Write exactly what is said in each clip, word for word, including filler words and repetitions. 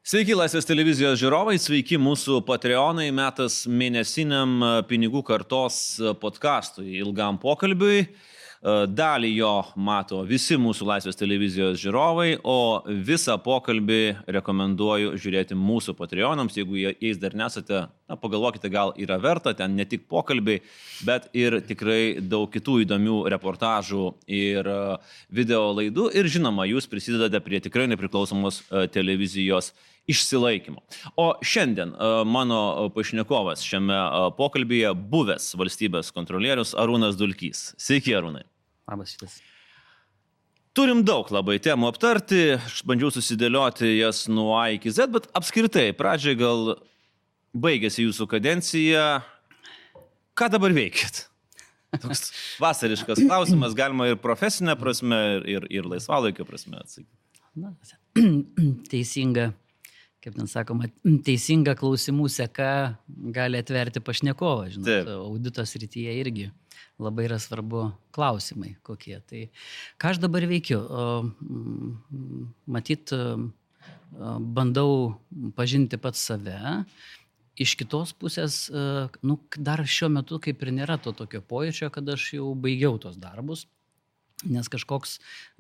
Sveiki Laisvės televizijos žiūrovai, sveiki mūsų Patreonai, metas mėnesiniam pinigų kartos podcastui, ilgam pokalbiui. Dalį jo mato visi mūsų Laisvės televizijos žiūrovai, o visą pokalbį rekomenduoju žiūrėti mūsų Patreonams. Jeigu jais dar nesate, na, pagalvokite, gal yra verta, ten ne tik pokalbiai, bet ir tikrai daug kitų įdomių reportažų ir video laidų. Ir žinoma, jūs prisidedate prie tikrai nepriklausomos televizijos išsilaikymo. O šiandien mano pašnekovas šiame pokalbyje buvęs valstybės kontrolierius Arūnas Dulkys. Sveiki, Arūnai. Labas šitas. Turim daug labai temų aptarti, aš bandžiau susidėlioti jas nuo A iki Z, bet apskritai, pradžiai gal baigėsi jūsų kadencija. Ką dabar veikit? Toks vasariškas klausimas, galima ir profesinė prasme, ir, ir laisvalaikio prasme atsakyti. Na, teisinga. Kaip ten sakoma, teisinga klausimų seka gali atverti pašnekovą, žinot, Taip. Audito srityje irgi labai yra svarbu klausimai kokie. Tai ką aš dabar veikiu? Matyt, bandau pažinti pats save. Iš kitos pusės, nu, dar šiuo metu kaip ir nėra to tokio pojūčio, kad aš jau baigiau tos darbus. Nes kažkoks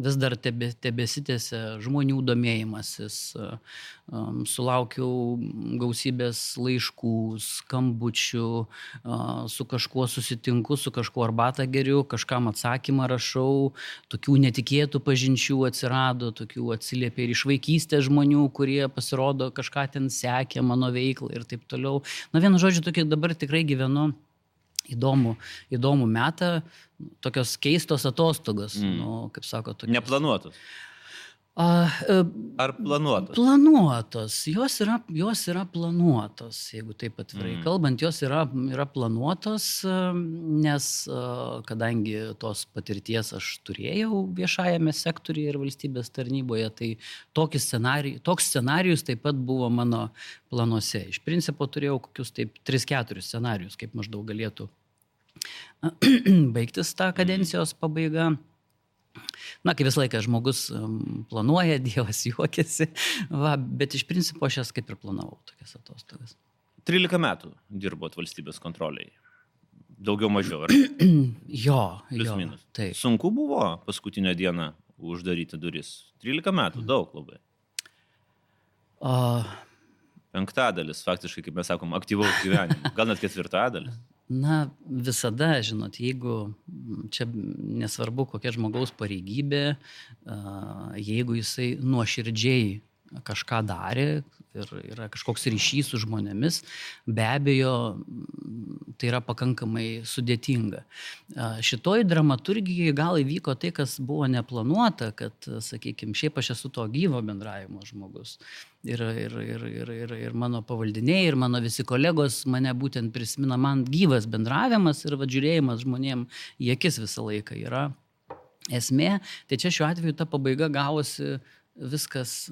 vis dar tebe, tebesitėse žmonių domėjimasis, um, sulaukiau gausybės laiškų, skambučių, uh, su kažkuo susitinku, su kažkuo arbatą geriu, kažkam atsakymą rašau, tokių netikėtų pažinčių atsirado, tokių atsiliepė ir iš vaikystės žmonių, kurie pasirodo kažką ten sekė mano veiklą ir taip toliau. Na, vienu žodžiu, tokį dabar tikrai gyvenu įdomų, įdomų metą, tokios keistos atostogos, mm. nu, kaip sako, tokios. Neplanuotos. A, Ar planuotos? Planuotos. Jos yra, jos yra planuotos, jeigu taip atvirai mm. kalbant, jos yra, yra planuotos, nes kadangi tos patirties aš turėjau viešajame sektoriuje ir valstybės tarnyboje, tai tokį scenarijų, toks scenarijus taip pat buvo mano planuose. Iš principo turėjau kokius taip tris keturis scenarijus, kaip maždaug galėtų baigtis tą kadencijos pabaiga. Na, kaip visą laiką žmogus planuoja, Dievas juokiasi, va, bet iš principo aš jas kaip ir planavau tokias atostogas. trylika metų dirbot valstybės kontroliai. Daugiau mažiau, ar? Jo, Plius jo. minus. Taip. Sunku buvo paskutinę dieną uždaryti duris. trylika metų, daug labai. O... Penktadalis, faktiškai, kaip mes sakom, aktyvaus gyvenimo. Gal net ketvirtadalis. Na, visada, žinot, jeigu čia nesvarbu kokia žmogaus pareigybė, jeigu jisai nuoširdžiai kažką darė ir yra kažkoks ryšys su žmonėmis, be abejo, tai yra pakankamai sudėtinga. Šitoj dramaturgijai gal įvyko tai, kas buvo neplanuota, kad, sakykime, šiaip aš esu to gyvo bendravimo žmogus. Ir, ir, ir, ir, ir, ir mano pavaldiniai, ir mano visi kolegos mane būtent prisimena, man gyvas bendravimas ir va, žiūrėjimas žmonėm į akis visą laiką yra esmė. Tai čia šiuo atveju ta pabaiga gavosi viskas,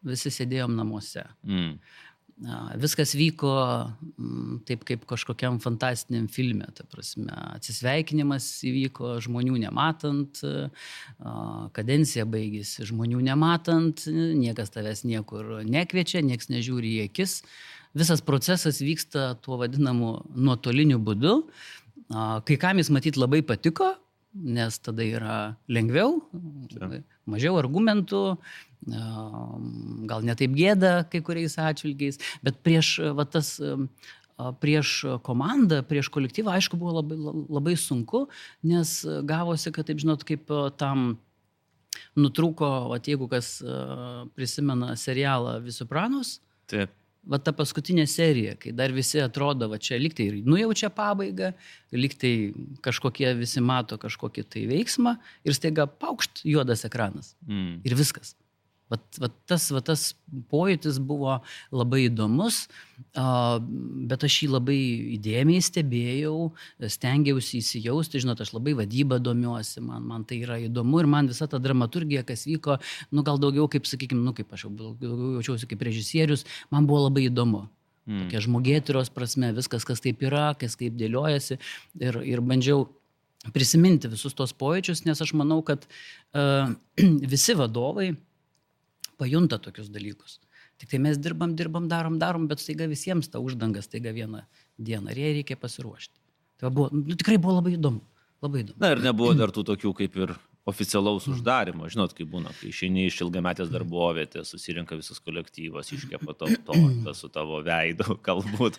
visi sėdėjom namuose. Mm. Viskas vyko taip kaip kažkokiam fantastiniam filme, ta prasme, atsisveikinimas įvyko žmonių nematant, kadencija baigėsi žmonių nematant, niekas tavęs niekur nekviečia, niekas nežiūri į akis. Visas procesas vyksta tuo vadinamu nuotoliniu būdu. Kai kam jis matyt labai patiko, nes tada yra lengviau, mažiau argumentų, gal netaip gėda kai kuriais atžvilgiais, bet prieš, va, tas, prieš komandą, prieš kolektyvą, aišku, buvo labai, labai sunku, nes gavosi, kad, taip žinot, kaip tam nutrūko, va, jeigu kas prisimena serialą Sopranos, taip. Va ta paskutinė serija, kai dar visi atrodo, va čia liktai nujaučia pabaigą, liktai kažkokie visi mato kažkokį tai veiksmą ir staiga paukšt juodas ekranas. Mm. Ir viskas. Va, va, tas, va tas pojūtis buvo labai įdomus, bet aš jį labai įdėmiai stebėjau, stengiausi įsijausti, žinot, aš labai vadybą domiuosi, man, man tai yra įdomu ir man visa ta dramaturgija, kas vyko, nu gal daugiau kaip, sakykime, nu kaip aš jau daugiau jaučiausi kaip režisierius, man buvo labai įdomu. Mm. Tokia žmogėtyros prasme, viskas, kas taip yra, kas kaip dėliojasi ir, ir bandžiau prisiminti visus tos pojūčius, nes aš manau, kad uh, visi vadovai pajunta tokius dalykus. Tik tai mes dirbam, dirbam, darom, darom, bet staiga visiems ta uždanga staiga vieną dieną ir jai reikia pasiruošti. Tai buvo, nu, tikrai buvo labai įdomu. Labai įdomu. Na ir nebuvo dar tų tokių kaip ir oficialaus uždarimo. Žinot, kaip būna, kai išeini iš ilgametės darbovietės, susirinka visas kolektyvas, iškepa to tortą su tavo veidu, galbūt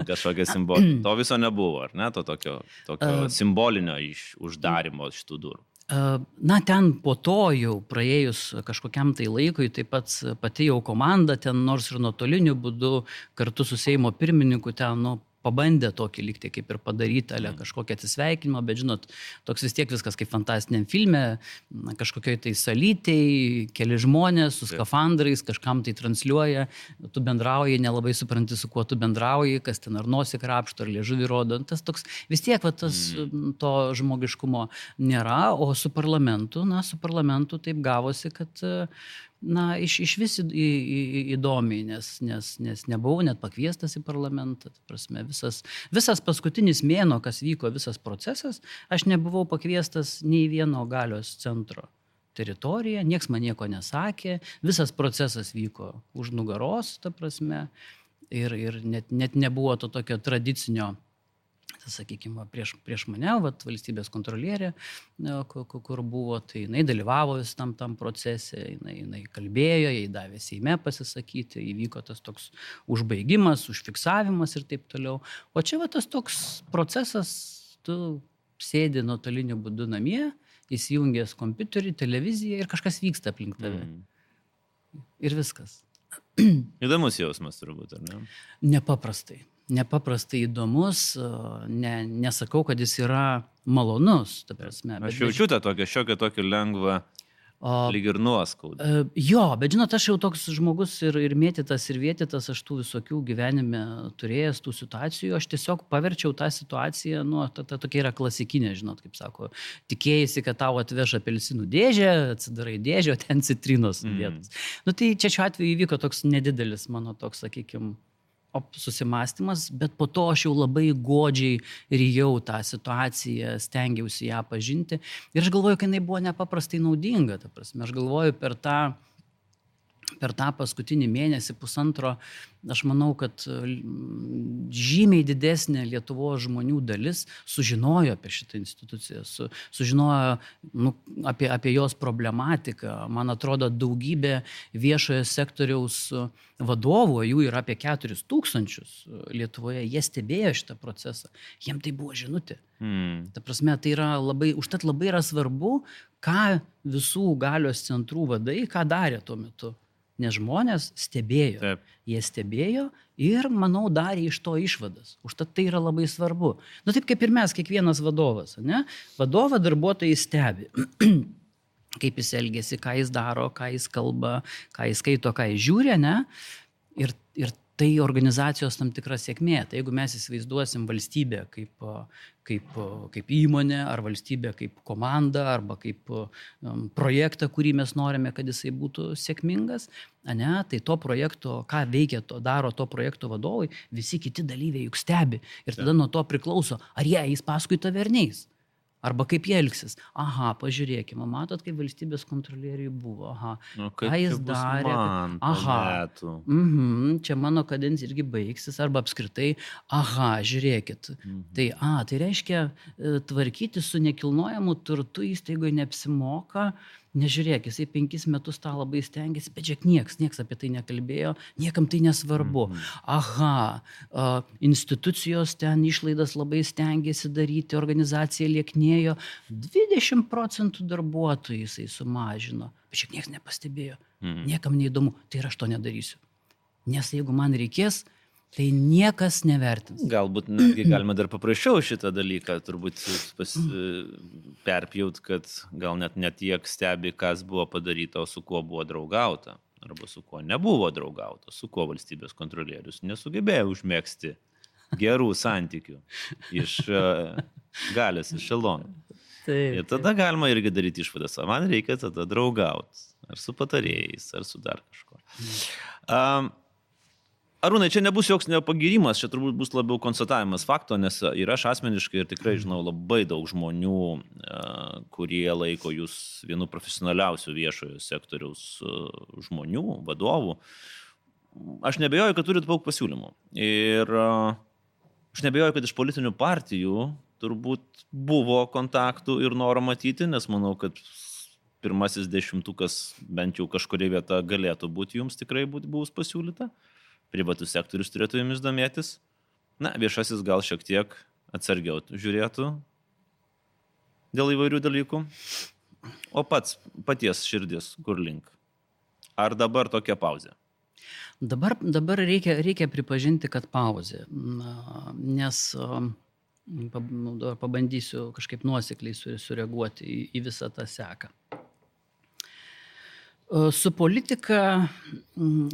kažkokia simbolika. To viso nebuvo, ar ne? To tokio, tokio simbolinio iš uždarimo šitų durų. Na, ten po to jau praėjus kažkokiam tai laikui, taip pat pati jau komanda ten, nors ir nuotoliniu būdu, kartu su Seimo pirmininku ten, nu, pabandė tokį lygtį kaip ir padaryti, ale kažkokią atsisveikinimą, bet žinot, toks vis tiek viskas kaip fantastiniam filme, kažkokioj tai salytei, keli žmonės su skafandrais, kažkam tai transliuoja, tu bendrauji, nelabai supranti, su kuo tu bendrauji, kas ten ar nosį krapšto, ar liežuvį rodo. Tas toks, vis tiek va, tas, to žmogiškumo nėra, o su parlamentu, na, su parlamentu taip gavosi, kad na, iš, iš vis į, į, į, įdomiai, nes, nes, nes nebuvau net pakviestas į parlamentą. Prasme, visas, visas paskutinis mėnuo, kas vyko, visas procesas, aš nebuvau pakviestas nei vieno galios centro teritoriją, nieks man nieko nesakė, visas procesas vyko už nugaros, ta prasme, ir, ir net, net nebuvo to tokio tradicinio, sakykime, prieš, prieš mane, vat, valstybės kontrolierė, kur buvo, tai jinai dalyvavo vis tam, tam procese, jinai, jinai kalbėjo, jai davė Seime pasisakyti, įvyko tas toks užbaigimas, užfiksavimas ir taip toliau. O čia va, tas toks procesas, tu sėdi nuotoliniu būdu namie, įsijungęs kompiuterį, televiziją ir kažkas vyksta aplink tave. Mm. Ir viskas. Įdomus jausmas turbūt, ar ne? Nepaprastai. Nepaprastai įdomus, ne, nesakau, kad jis yra malonus, ta prasme. Aš jaučiu tą tokią šiokią tokį lengvą, o, lyg ir nuoskaudą. Jo, bet žinot, aš jau toks žmogus ir, ir mėtytas, ir vėtytas, aš tų visokių gyvenime turėjęs tų situacijų, aš tiesiog paverčiau tą situaciją, nu, ta, ta tokia yra klasikinė, žinot, kaip sako, tikėjasi, kad tau atveš apelsinų dėžę, atsidarai dėžę, o ten citrinos sudėtos. Mm. Nu, tai čia šiuo atveju įvyko toks nedidelis mano toks, sakykime, susimastymas, bet po to aš jau labai godžiai rijau tą situaciją, stengiausi ją pažinti ir aš galvoju, kad jinai buvo nepaprastai naudinga, ta prasme, aš galvoju per tą, per tą paskutinį mėnesį, pusantro, aš manau, kad žymiai didesnė Lietuvos žmonių dalis sužinojo apie šitą instituciją, su, sužinojo nu, apie, apie jos problematiką. Man atrodo, daugybė viešojo sektoriaus vadovų, jų yra apie keturis tūkstančius Lietuvoje, jie stebėjo šitą procesą. Jiem tai buvo žinutė. Hmm. Ta prasme, tai yra labai, užtat labai yra svarbu, ką visų galios centrų vadai, ką darė tuo metu. Nes žmonės stebėjo. Taip. Jie stebėjo ir, manau, darė iš to išvadas. Užtat tai yra labai svarbu. Nu taip kaip ir mes, kiekvienas vadovas. Ne? Vadovą darbuotojai stebi. Kaip jis elgėsi, ką jis daro, ką jis kalba, ką jis skaito, ką jis žiūri, ne? Ir, ir tai organizacijos tam tikra sėkmė. Tai jeigu mes įsivaizduosim valstybę kaip, kaip, kaip įmonę, ar valstybę kaip komandą, arba kaip um, projektą, kurį mes norime, kad jisai būtų sėkmingas, ne, tai to projekto, ką veikia, to daro to projekto vadovai, visi kiti dalyviai juk stebi. Ir tada nuo to priklauso, ar jie eis paskui tave ar neis. Arba kaip jie elgsis. Aha, pažiūrėkime, matot, kaip valstybės kontrolieriui buvo. Aha, nu, ką jis darė. Man, aha, mhm, čia mano kadencija irgi baigsis. Arba apskritai, aha, žiūrėkit. Mhm. Tai, a, tai reiškia, tvarkyti su nekilnojamu turtu įstaigoje neapsimoka. Nežiūrėk, jisai penkis metus tą labai stengiasi, bet žiūrėk, nieks, nieks apie tai nekalbėjo, niekam tai nesvarbu. Mm-hmm. Aha, institucijos ten išlaidas labai stengiasi daryti, organizacija lieknėjo, dvidešimt procentų darbuotojų jisai sumažino, bet žiūrėk, nieks nepastebėjo, mm-hmm. niekam neįdomu, tai ir aš to nedarysiu. Nes jeigu man reikės, tai niekas nevertins. Galbūt netgi galima dar paprasčiau šitą dalyką turbūt pas, perpjaut, kad gal net net tiek stebi, kas buvo padaryta, o su kuo buvo draugauta, arba su kuo nebuvo draugauta, su kuo valstybės kontrolierius nesugebėjo užmėgsti gerų santykių iš uh, galios ešelonų. Ir tada galima irgi daryti išvadas, o man reikia tada draugauti, ar su patarėjais, ar su dar kažko. Um, Arūnai, čia nebus joks nepagirimas, čia turbūt bus labiau konstatavimas fakto, nes ir aš asmeniškai ir tikrai žinau labai daug žmonių, kurie laiko jūs vienu profesionaliausių viešojo sektoriaus žmonių, vadovų, aš nebejoju, kad turit daug pasiūlymų. Ir aš nebejoju, kad iš politinių partijų turbūt buvo kontaktų ir noro matyti, nes manau, kad pirmasis dešimtukas bent jau kažkuria vieta galėtų būti jums tikrai bus pasiūlyta. Privatus sektorius turėtų jumis domėtis. Na, viešasis gal šiek tiek atsargiau žiūrėtų dėl įvairių dalykų. O pats, paties širdis, kur link? Ar dabar tokia pauzė? Dabar, dabar reikia, reikia pripažinti, kad pauzė. Na, nes pabandysiu kažkaip nuosekliai sureaguoti į, į visą tą seką. Su politika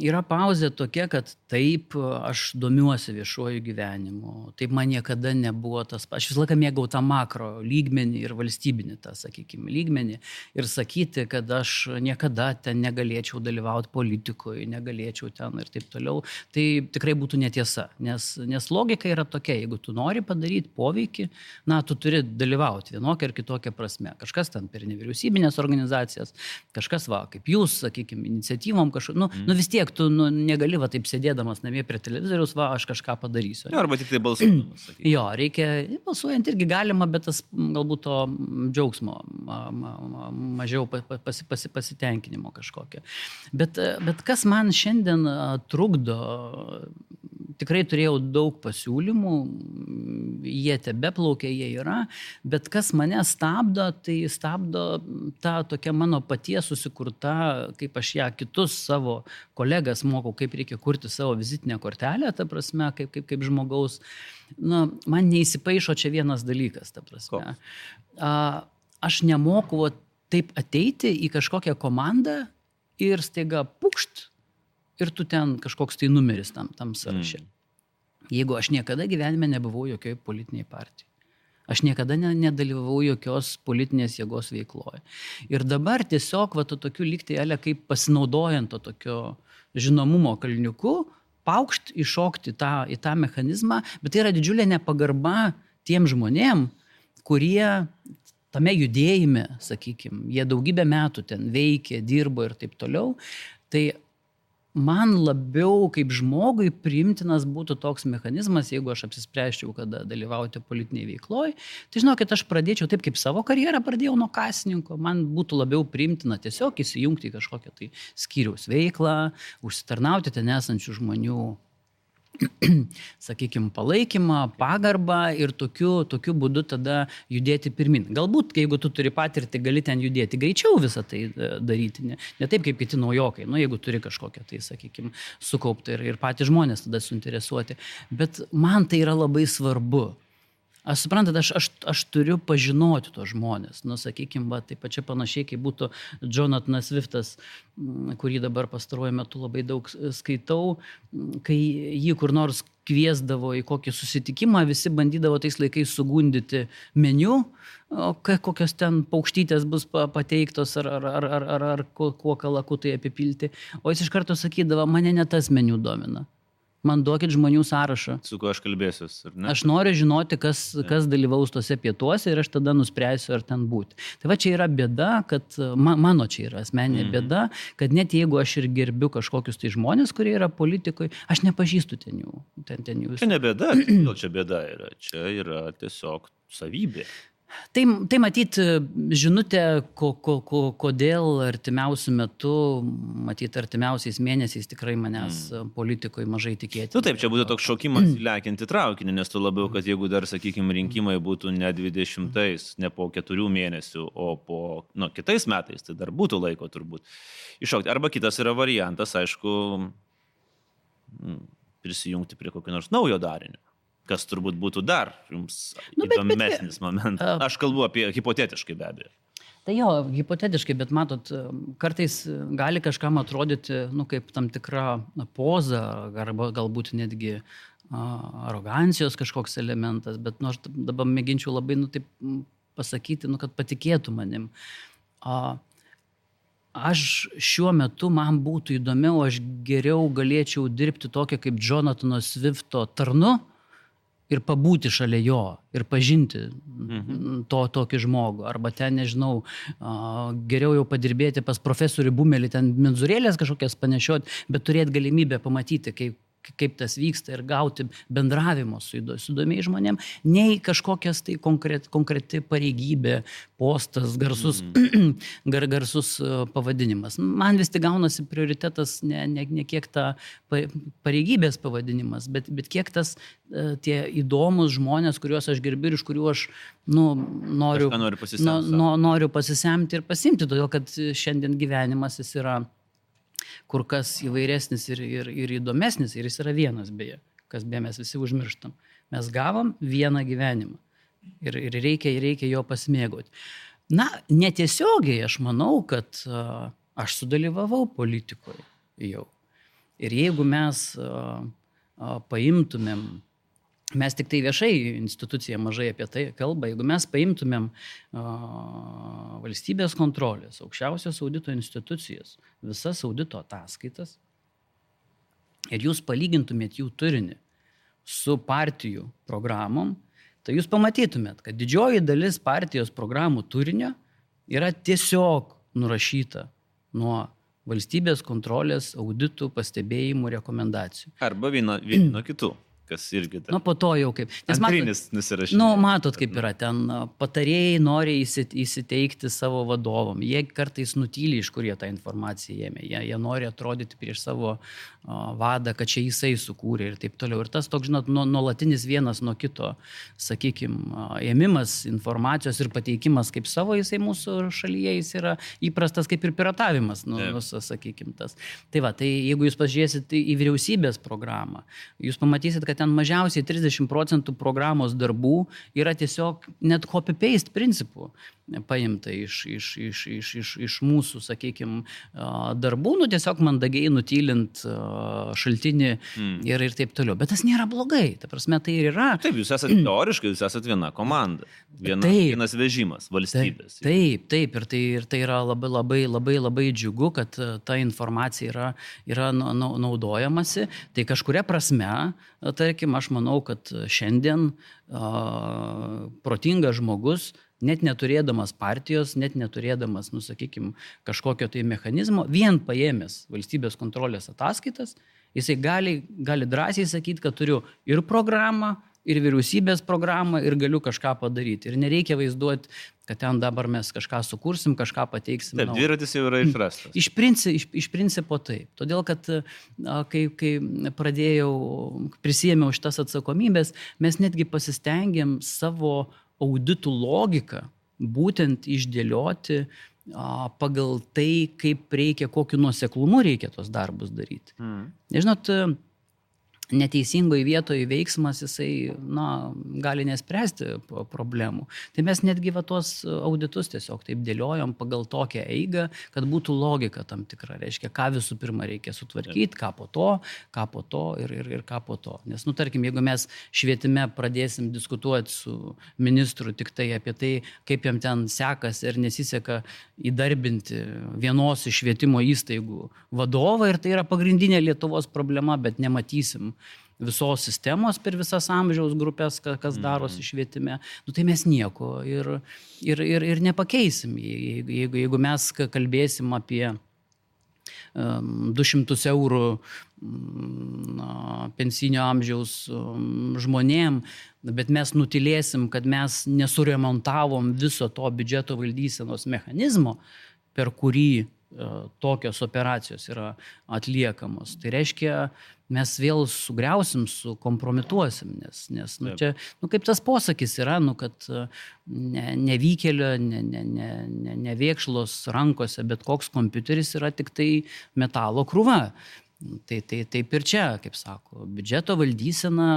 yra pauzė tokia, kad taip, aš domiuosi viešuoju gyvenimu, taip man niekada nebuvo tas, aš visą laiką mėgau tą makro lygmenį ir valstybinį tą, sakykime, lygmenį ir sakyti, kad aš niekada ten negalėčiau dalyvauti politikoje, negalėčiau ten ir taip toliau, tai tikrai būtų netiesa, nes, nes logika yra tokia, jeigu tu nori padaryti poveikį, na, tu turi dalyvauti vienokią ar kitokią prasme, kažkas ten per nevyriausybinės organizacijas, kažkas va, kaip jūs, sakykime, iniciatyvom kažkaip, nu, mm. nu vis tiek tu nu, negali va taip sėdėdamas namie prie televizoriaus, va, aš kažką padarysiu. Jo, arba tik tai balsuodamas. Jo, reikia, balsuojant irgi galima, bet tas galbūt to džiaugsmo, ma, ma, ma, mažiau pasi, pasi, pasitenkinimo kažkokio. Bet, bet kas man šiandien trukdo, tikrai turėjau daug pasiūlymų, jie tebeplaukia, jie yra, bet kas mane stabdo, tai stabdo ta tokia mano paties susikurta, kaip aš ją kitus savo kolegas mokau, kaip reikia kurti savo vizitinę kortelę, ta prasme, kaip, kaip, kaip žmogaus. Na, man neįsipaišo čia vienas dalykas, ta prasme. A, aš nemoku taip ateiti į kažkokią komandą ir staiga pukšt, ir tu ten kažkoks tai numeris tam, tam sąraše. Mm. Jeigu aš niekada gyvenime nebuvau jokioj politiniai partijai. Aš niekada ne, nedalyvavau jokios politinės jėgos veikloje. Ir dabar tiesiog va to tokiu lygtai, ale, kaip pasinaudojant to tokio žinomumo kalniuku, paukšt iššokti tą, į tą mechanizmą, bet tai yra didžiulė nepagarba tiem žmonėm, kurie tame judėjime, sakykime, jie daugybę metų ten veikė, dirbo ir taip toliau. Tai man labiau kaip žmogui priimtinas būtų toks mechanizmas, jeigu aš apsispręsčiau, kada dalyvauti politiniai veikloj, tai žinokit, aš pradėčiau taip, kaip savo karjerą pradėjau nuo kasininko, man būtų labiau priimtina tiesiog įsijungti į kažkokią tai skyriaus veiklą, užsitarnauti ten esančių žmonių, sakykime, palaikymą, pagarbą ir tokiu, tokiu būdu tada judėti pirmin. Galbūt, jeigu tu turi patirtį, gali ten judėti greičiau visą tai daryti, ne, ne taip kaip kiti naujokai, nu, jeigu turi kažkokią tai, sakykime, sukauptą ir, ir patys žmonės tada suinteresuoti. Bet man tai yra labai svarbu. Aš suprantat, aš, aš, aš turiu pažinoti tos žmonės. Nu, sakykime, va, taip pačiai panašiai, kaip būtų Jonathanas Swiftas, kurį dabar pastaruoju metu labai daug skaitau, kai jį kur nors kviesdavo į kokį susitikimą, visi bandydavo tais laikais sugundyti meniu, kokios ten paukštytės bus pateiktos ar, ar, ar, ar, ar, ar kuo kalakutai apipilti. O jis iš karto sakydavo, mane ne tas meniu domina. Man duokit žmonių sąrašą. Su kuo aš kalbėsiu, ar ne? Aš noriu žinoti, kas, kas dalyvaus tose pietuose ir aš tada nuspręsiu, ar ten būti. Tai va čia yra bėda, kad ma, mano čia yra asmeninė mm-hmm. bėda, kad net jeigu aš ir gerbiu kažkokius tai žmonės, kurie yra politikoje, aš nepažįstu ten jų. Ten, ten jų. Čia ne bėda, gal čia bėda yra. Čia yra tiesiog savybė. Tai, tai matyt, žinutė, ko, ko, ko, kodėl artimiausių metų, matyt, artimiausiais mėnesiais tikrai manęs mm. politikoje mažai tikėti. Nu taip, čia būtų toks šokimas įlekinti traukinį, nes tu labiau, kad jeigu dar, sakykime, rinkimai būtų ne dvidešimtais, ne po keturių mėnesių, o po, nu, kitais metais, tai dar būtų laiko turbūt iššokti. Arba kitas yra variantas, aišku, prisijungti prie kokio nors naujo darinio. Kas turbūt būtų dar jums nu, bet, įdomesnis bet, momentas. Aš kalbu apie hipotetiškai be abejo. Tai jo, hipotetiškai, bet matot, kartais gali kažkam atrodyti, nu, kaip tam tikra poza, arba galbūt netgi arogancijos kažkoks elementas, bet nu, aš dabar mėginčiau labai, nu, taip pasakyti, nu, kad patikėtų manim. A, Aš šiuo metu man būtų įdomiau, aš geriau galėčiau dirbti tokią kaip Jonathano Swifto tarnu, ir pabūti šalia jo, ir pažinti mhm. to tokį žmogų. Arba ten, nežinau, geriau jau padirbėti pas profesorių Bumelį, ten menzurėlės kažkokias panešioti, bet turėti galimybę pamatyti, kaip kaip tas vyksta ir gauti bendravimo su įdomiais žmonėm, nei kažkokias tai konkret, konkreti pareigybė, postas, garsus, mm. gar, garsus pavadinimas. Man vis tik gaunasi prioritetas ne, ne, ne kiek ta pareigybės pavadinimas, bet, bet kiek tas tie įdomus žmonės, kuriuos aš gerbiu ir iš kurių aš nu, noriu, noriu, pasisemti, no, no, noriu pasisemti ir pasimti, todėl kad šiandien gyvenimas jis yra kur kas įvairesnis ir, ir, ir įdomesnis, ir jis yra vienas beje, kas beje mes visi užmirštam. Mes gavom vieną gyvenimą ir, ir reikia, reikia jo pasimėgoti. Na, netiesiogiai aš manau, kad uh, aš sudalyvavau politikoje jau. Ir jeigu mes uh, uh, paimtumėm, mes tik tai viešai institucija mažai apie tai kalba, jeigu mes paimtumėm uh, valstybės kontrolės, aukščiausios audito institucijas, visas audito ataskaitas ir jūs palygintumėt jų turinį su partijų programom, tai jūs pamatytumėt, kad didžioji dalis partijos programų turinio yra tiesiog nurašyta nuo valstybės kontrolės auditų, pastebėjimų, rekomendacijų. Arba vieno, vieno kitų. Kas irgi nu, po to jau kaip. Antrinis nusirašinė. Nu, matot, kaip yra ten. Patarėjai nori įsiteikti savo vadovom. Jie kartais nutyli, iš kur jie tą informaciją ėmė. Jie, jie nori atrodyti prieš savo uh, vadą, kad čia jisai sukūrė ir taip toliau. Ir tas toks, žinot, nuolatinis vienas nuo kito, sakykime, ėmimas informacijos ir pateikimas kaip savo, jisai mūsų šalyje jis yra įprastas kaip ir piratavimas, nu, nu, sakykime, tas. Tai va, tai jeigu jūs pažiūrėsite į vyriausybės programą, jūs pamatysit, kad ten mažiausiai trisdešimt procentų programos darbų yra tiesiog net copy-paste principų paimta iš, iš, iš, iš, iš, iš mūsų, sakykime, darbų, nu tiesiog mandagiai nutylint šaltinį mm. ir, ir taip toliau. Bet tas nėra blogai, ta prasme tai ir yra. Taip, jūs esate teoriškai, jūs esate viena komanda, viena, taip, vienas vežimas valstybės. Taip, taip, ir tai, ir tai yra labai, labai, labai, labai džiugu, kad ta informacija yra, yra naudojamasi. Tai kažkuria prasme, tarkim, aš manau, kad šiandien a, protingas žmogus, net neturėdamas partijos, net neturėdamas, nu, sakykime, kažkokio tai mechanizmo, vien paėmęs valstybės kontrolės ataskaitas, jisai gali, gali drąsiai sakyti, kad turiu ir programą, ir vyriausybės programą, ir galiu kažką padaryti. Ir nereikia vaizduoti, kad ten dabar mes kažką sukursim, kažką pateiksim. Taip, dviratis jau yra išrastas. Iš, princi, iš, iš principo taip. Todėl, kad kai, kai pradėjau, prisėmiau šitas atsakomybės, mes netgi pasistengėm savo auditų logiką būtent išdėlioti a, pagal tai, kaip reikia, kokiu nuoseklumu reikia tos darbus daryti. Mm. Nežinot, neteisingoje vietoje veiksmas, jisai, na, gali nespręsti problemų. Tai mes netgi va tos auditus tiesiog taip dėliojom pagal tokią eigą, kad būtų logika tam tikra. Reiškia, ką visų pirma reikia sutvarkyti, ką po to, ką po to ir, ir, ir ką po to. Nes, nu, tarkim, jeigu mes švietime pradėsim diskutuoti su ministru tik tai apie tai, kaip jam ten sekasi ir nesiseka įdarbinti vienos iš švietimo įstaigų vadovą, ir tai yra pagrindinė Lietuvos problema, bet nematysim visos sistemos per visas amžiaus grupės, kas darosi švietime, nu, tai mes nieko ir, ir, ir, ir nepakeisim. Jeigu, jeigu, jeigu mes kalbėsim apie um, du šimtus eurų um, pensinio amžiaus um, žmonėm, bet mes nutilėsim, kad mes nesuremontavom viso to biudžeto valdysenos mechanizmo, per kurį tokios operacijos yra atliekamos. Tai reiškia, mes vėl sugriausim, sukompromituosim, nes, nes nu, čia, nu, kaip tas posakis yra, nu, kad ne, nevykėlio, ne, ne, ne, ne, nevėkšlos rankose, bet koks kompiuteris yra tik tai metalo krūva. Tai, tai taip ir čia, kaip sako, biudžeto valdysena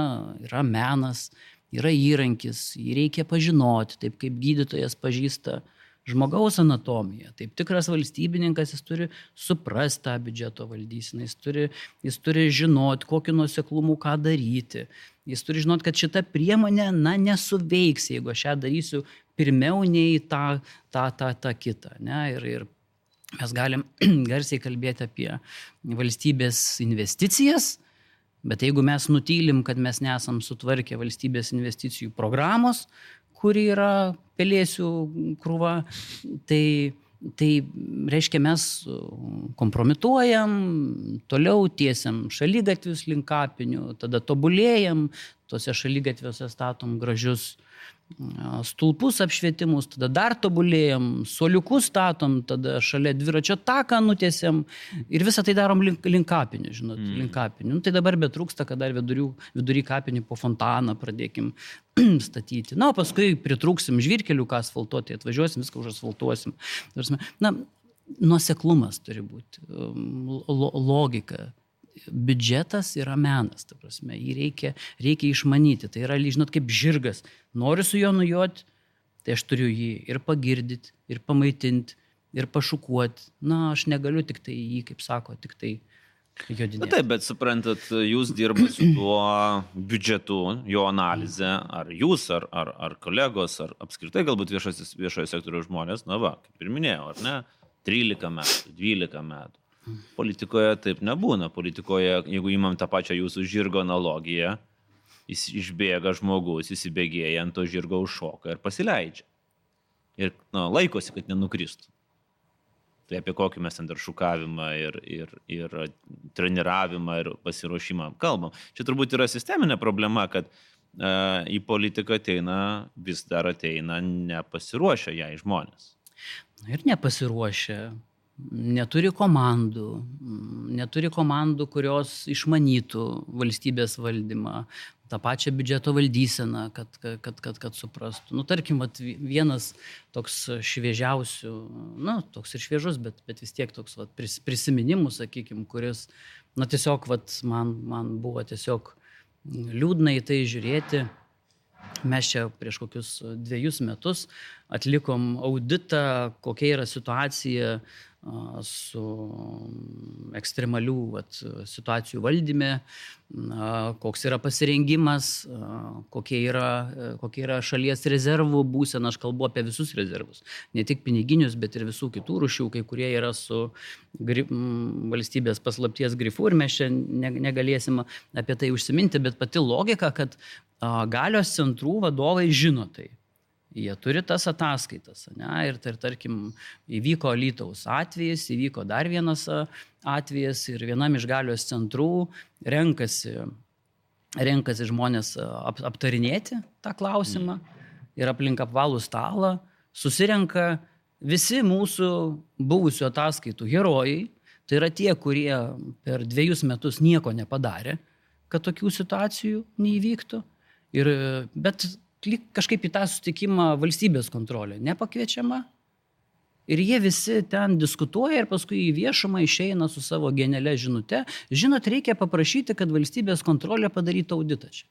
yra menas, yra įrankis, jį reikia pažinoti, taip kaip gydytojas pažįsta žmogaus anatomiją. Taip tikras valstybininkas, jis turi suprasti tą biudžeto valdyseną, jis turi, jis turi žinoti, kokiu nuoseklumu ką daryti. Jis turi žinoti, kad šita priemonė, na, nesuveiks, jeigu aš ją darysiu pirmiau nei tą, tą, tą, tą kitą. Ne? Ir, ir mes galim garsiai kalbėti apie valstybės investicijas, Bet jeigu mes nutylim, kad mes nesam sutvarkę valstybės investicijų programos, kuri yra pelėsių krūva, tai Tai reiškia, mes kompromituojam, toliau tiesiam šaligatvius link kapinių, tada tobulėjam, tuose šaligatviuose statom gražius stulpus apšvietimus, tada dar tobulėjam, suoliukus statom, tada šalia dviračio taką nutiesiam ir visą tai darom link, link kapinių, žinot, mm. link kapinių. Nu, tai dabar betrūksta, kad dar vidurių, vidury kapinių po fontaną pradėkim statyti. Na, o paskui pritrūksim žvyrkelių, ką asfaltuoti, atvažiuosim, viską užasfaltuosim. Na, nuoseklumas turi būti, lo, logika. Biudžetas yra menas, ta prasme, jį reikia, reikia išmanyti. Tai yra, žinot, kaip žirgas. Noriu su juo nujoti, tai aš turiu jį ir pagirdyti, ir pamaitinti, ir pašukuoti. Na, aš negaliu tik tai jį, kaip sako, tik tai jodinėti. Na taip, bet suprantat, jūs dirbate su tuo biudžetu, jo analizė, ar jūs, ar, ar, ar kolegos, ar apskritai galbūt viešasis, viešojo sektoriaus žmonės, na va, kaip ir minėjau, ar ne, trylika metų, dvylika metų. Politikoje taip nebūna. Politikoje, jeigu įmam tą pačią jūsų žirgo analogiją, jis išbėga žmogus, įsibėgėja ant to žirgo užšoka ir pasileidžia. Ir na, laikosi, kad nenukristų. Tai apie kokį mes ten dar šukavimą ir, ir, ir treniravimą ir pasiruošimą kalbam. Čia turbūt yra sisteminė problema, kad e, į politiką ateina, vis dar ateina nepasiruošę jai žmonės. Ir nepasiruošę. Neturi komandų, neturi komandų, kurios išmanytų valstybės valdymą, tą pačią biudžeto valdyseną, kad, kad, kad, kad suprastų. Nu, tarkim, vat, vienas toks šviežiausių, na, toks ir šviežus, bet, bet vis tiek toks vat, prisiminimų, sakykim, kuris, na, tiesiog vat, man, man buvo tiesiog liūdna į tai žiūrėti. Mes čia prieš kokius dviejus metus atlikom auditą, kokia yra situacija su ekstremalių vat, situacijų valdyme, koks yra pasirengimas, kokie yra, kokie yra šalies rezervų būsena. Aš kalbu apie visus rezervus, ne tik piniginius, bet ir visų kitų rūšių, kai kurie yra su grif, valstybės paslapties grifu ir mes čia negalėsim apie tai užsiminti, bet pati logika, kad galios centrų vadovai žino tai. Jie turi tas ataskaitas, ne? Ir, ir tarkim, įvyko Alytaus atvejis, įvyko dar vienas atvejis ir vienam iš galios centrų renkasi, renkasi žmonės ap, aptarinėti tą klausimą ir aplink apvalų stalą susirenka visi mūsų buvusių ataskaitų herojai, tai yra tie, kurie per dviejus metus nieko nepadarė, kad tokių situacijų neįvyktų, ir, bet kažkaip į tą susitikimą valstybės kontrolė nepakviečiama ir jie visi ten diskutuoja ir paskui į viešumą išeina su savo genialia žinute. Žinot, reikia paprašyti, kad valstybės kontrolė padarytų auditą čia.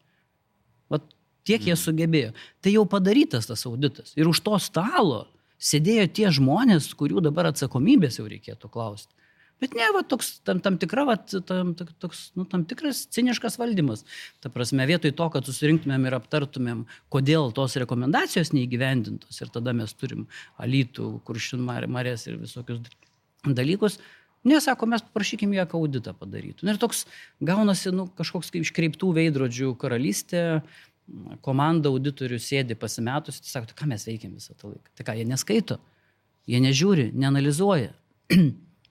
Vat tiek jie sugebėjo. Tai jau padarytas tas auditas. Ir už to stalo sėdėjo tie žmonės, kurių dabar atsakomybės jau reikėtų klausti. Bet ne, va, toks, tam, tam, tikra, va, tam, toks, nu, tam tikras ciniškas valdymas. Ta prasme, vietoj to, kad susirinktumėm ir aptartumėm, kodėl tos rekomendacijos neįgyvendintos ir tada mes turim Alytų, Kuršių marias ir visokius dalykus, nesako, mes paprašykim ją, kad auditą padarytų. Ir toks gaunasi nu, kažkoks kaip iškreiptų veidrodžių karalystė, komanda auditorių sėdi pasimetus, tai sako, tai ką mes veikiam visą tą laiką? Tai ką, jie neskaito, jie nežiūri, neanalizuoja.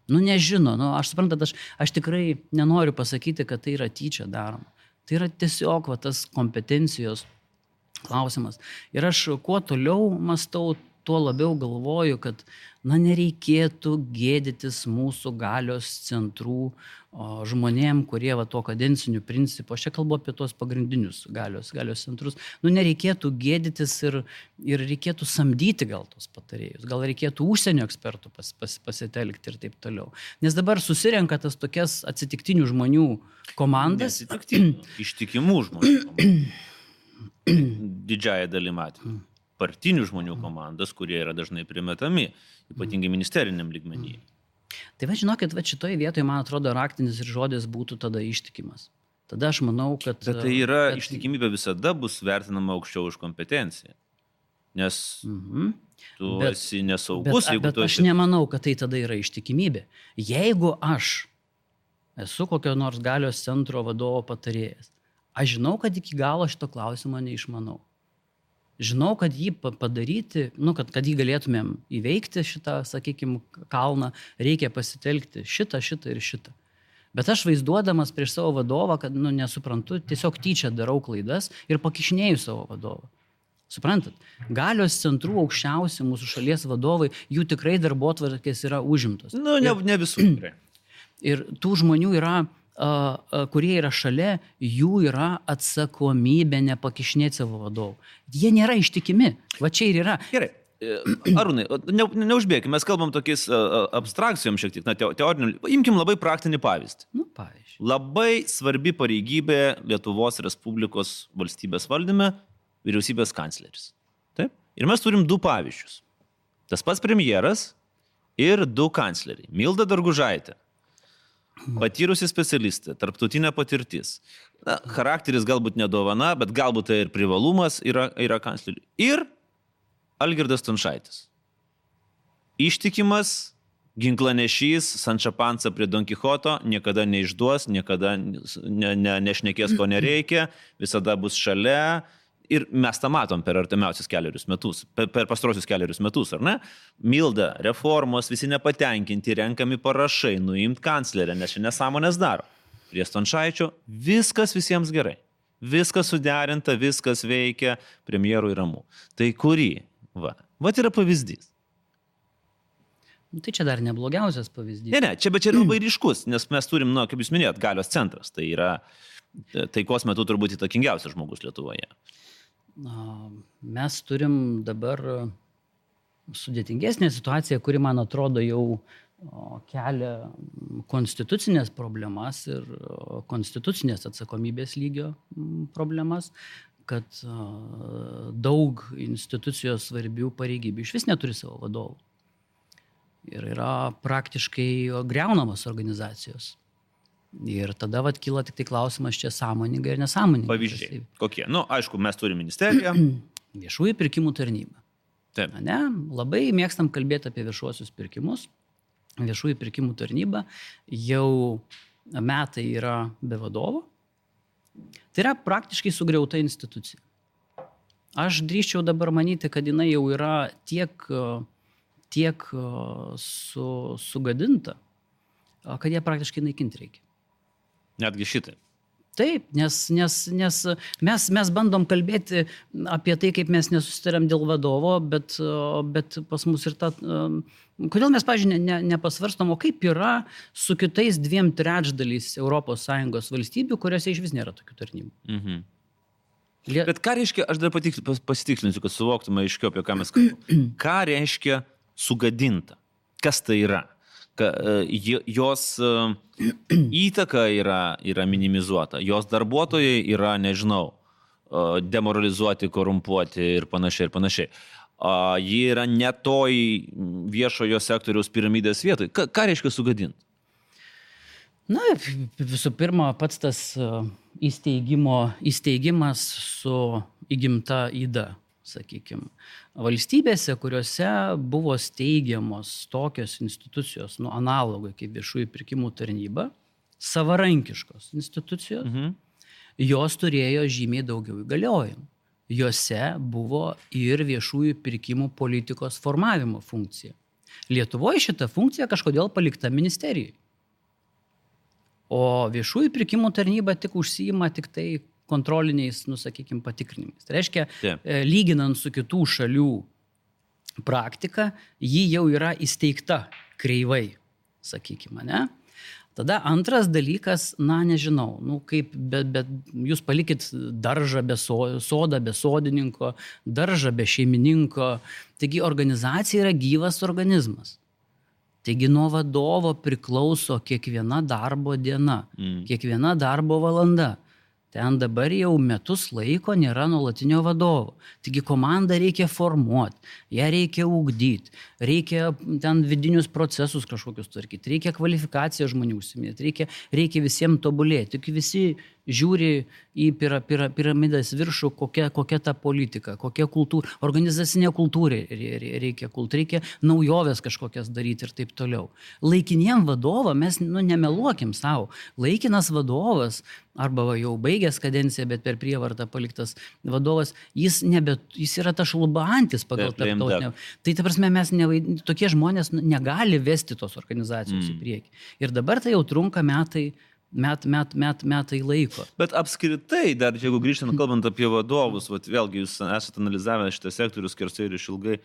Nu, nežino, nu, aš suprantat, aš, aš tikrai nenoriu pasakyti, kad tai yra tyčia daroma. Tai yra tiesiog va, tas kompetencijos klausimas. Ir aš kuo toliau mąstau, tuo labiau galvoju, kad na, nereikėtų gėdytis mūsų galios centrų o, žmonėm, kurie va, to kadencinių principų, aš čia kalbu apie tos pagrindinius galios, galios centrus, nu, nereikėtų gėdytis ir, ir reikėtų samdyti gal tos patarėjus, gal reikėtų užsienio ekspertų pas, pas, pasitelkti ir taip toliau. Nes dabar susirenka tas tokias atsitiktinių žmonių komandas. Atsitiktinių, ištikimų žmonių. Didžiąją dalį matymą. Partinių žmonių komandas, kurie yra dažnai primetami, ypatingai ministeriniam lygmenyje. Tai va, žinokit, va šitoje vietoje, man atrodo, raktinis ir žodis būtų tada ištikimas. Tada aš manau, kad... Bet tai yra, kad... ištikimybė visada bus vertinama aukščiau už kompetenciją. Nes mhm. tu bet, esi nesaugus, bet, jeigu bet tu esi... aš nemanau, kad tai tada yra ištikimybė. Jeigu aš esu kokio nors galios centro vadovo patarėjas. Aš žinau, kad iki galo šito klausimo neišmanau. Žinau, kad jį padaryti, nu, kad, kad jį galėtumėm įveikti šitą, sakykime, kalną, reikia pasitelkti šitą, šitą ir šitą. Bet aš vaizduodamas prieš savo vadovą, kad, nu, nesuprantu, tiesiog tyčia darau klaidas ir pakišnėju savo vadovą. Suprantat? Galios centrų aukščiausi mūsų šalies vadovai, jų tikrai darbotvarkės yra užimtos. Nu, ne, ne visų tikrai. Ir tų žmonių yra, kurie yra šalia, jų yra atsakomybė nepakišnėti savo vadovų. Jie nėra ištikimi. Va čia ir yra. Gerai. Arūnai, ne, neužbėgime, mes kalbam tokiais abstrakcijom šiek tiek, na, teorinių. Imkim labai praktinį pavyzdį. Nu, pavyzdžiui. Labai svarbi pareigybė Lietuvos Respublikos valstybės valdyme - vyriausybės kancleris. Taip? Ir mes turim du pavyzdžius. Tas pats premjeras ir du kancleriai. Milda Dargužaitė. Patyrusi specialistė, tarptautinė patirtis. Na, charakteris galbūt nedovana, bet galbūt tai ir privalumas yra, yra kancleriui. Ir Algirdas Stončaitis. Ištikimas, ginklanešys, Sančo Pansa prie Don Kichoto, niekada neišduos, niekada ne, ne, nešnekės, ko nereikia, visada bus šalia. Ir mes tą matom per artimiausius keliarius metus, per, per pastarosius keliarius metus, ar ne? Milda, reformos, visi nepatenkinti, renkami parašai, nuimt kanclerę, nes čia nesąmonės daro. Prie Stončaičio viskas visiems gerai. Viskas suderinta, viskas veikia, premjerui ramu. Tai kurį? Va. Va yra pavyzdys. Nu, tai čia dar neblogiausias pavyzdys. Ne, ne, čia, bet čia yra labai ryškus, nes mes turim, nu, kaip jūs minėjot, galios centras. Tai yra taikos metu turbūt įtakingiausias žmogus Lietuvoje. Mes turim dabar sudėtingesnę situaciją, kuri, man atrodo, jau kelia konstitucinės problemas ir konstitucinės atsakomybės lygio problemas, kad daug institucijos svarbių pareigybių iš vis neturi savo vadovų. Ir yra praktiškai greunamos organizacijos. Ir tada vat kyla tik tai klausimas čia sąmoningai ir nesąmoningai. Pavyzdžiai. Kokie? Nu, aišku, mes turime ministeriją. Viešųjų pirkimų tarnyba. Taip. Ne? Labai mėgstam kalbėti apie viešuosius pirkimus. Viešųjų pirkimų tarnyba jau metai yra be vadovo. Tai yra praktiškai sugriauta institucija. Aš drįsčiau dabar manyti, kad jinai jau yra tiek, tiek su, sugadinta, kad ją praktiškai naikinti reikia. Netgi šitai. Taip, nes, nes, nes mes, mes bandom kalbėti apie tai, kaip mes nesusitariam dėl vadovo, bet, bet pas mus ir ta... Kodėl mes, pažiūrėjau, ne, nepasvarstom, o kaip yra su kitais dviem trečdaliais Europos Sąjungos valstybių, kuriuose iš vis nėra tokių tarnybų. Mhm. Lie... Bet ką reiškia, aš dar pasitikslinsiu, kad suvoktume aiškiau, apie ką mes kalbame. Ką reiškia sugadinta? Kas tai yra? Jos įtaka yra, yra minimizuota, jos darbuotojai yra, nežinau, demoralizuoti, korumpuoti ir panašiai ir panašiai. Ji yra ne toj viešojo sektoriaus piramidės vietoj. Ką, ką reiškia sugadinti? Na, visų pirma, pats tas įsteigimo, įsteigimas su įgimta yda. Sakykime, valstybėse, kuriuose buvo steigiamos tokios institucijos, nu, analogai kaip viešųjų pirkimų tarnyba, savarankiškos institucijos, mhm. jos turėjo žymiai daugiau įgaliojimų. Jose buvo ir viešųjų pirkimų politikos formavimo funkcija. Lietuvoje šita funkcija kažkodėl palikta ministerijai. O viešųjų pirkimų tarnyba tik užsiima tik tai kontroliniais, nu, sakykime, patikrinimais. Tai reiškia, yeah. lyginant su kitų šalių praktika, ji jau yra įsteigta kreivai, sakykime, ne? Tada antras dalykas, na, nežinau, nu, kaip, bet, bet jūs palikit daržą be so, sodą, be sodininko, daržą be šeimininko. Taigi organizacija yra gyvas organizmas. Taigi nuo vadovo priklauso kiekviena darbo diena, mm. kiekviena darbo valanda. Ten dabar jau metus laiko nėra nuolatinio vadovo. Taigi komandą reikia formuoti, ją reikia ugdyti, reikia ten vidinius procesus kažkokius tvarkyti, reikia kvalifikaciją žmonių užsiminėti, reikia, reikia visiems tobulėti. Tik visi žiūri į pira, pira, piramidės viršų, kokia, kokia ta politika, kokia kultūra, organizacinė kultūra reikia, kult, reikia naujoves kažkokias daryti ir taip toliau. Laikiniem vadovam mes nu, nemeluokim savo. Laikinas vadovas, arba va, jau baigęs kadenciją, bet per prievartą paliktas vadovas, jis, nebe, jis yra ta šlubantis pagal tarptautinę. Tai ta prasme, mes nevaid... tokie žmonės negali vesti tos organizacijos mm. į priekį. Ir dabar tai jau trunka metai, met, met, met, metai laiko. Bet apskritai, dar jeigu grįžtant, kalbant apie vadovus, vat, vėlgi jūs esate analizavę šitą sektorių skersai ir išilgai,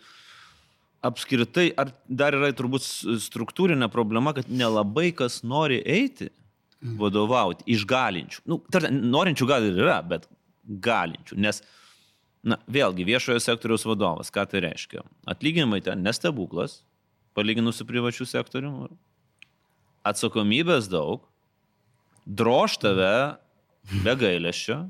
apskritai, ar dar yra turbūt struktūrinė problema, kad nelabai kas nori eiti vadovauti iš galinčių. Nu, tar, norinčių gal ir yra, bet galinčių, nes, na, vėlgi, viešojo sektoriaus vadovas, ką tai reiškia? Atlyginimai ten nestebuklas, palyginus su privačiu sektoriumi, atsakomybės daug, drož tave be gailesčio.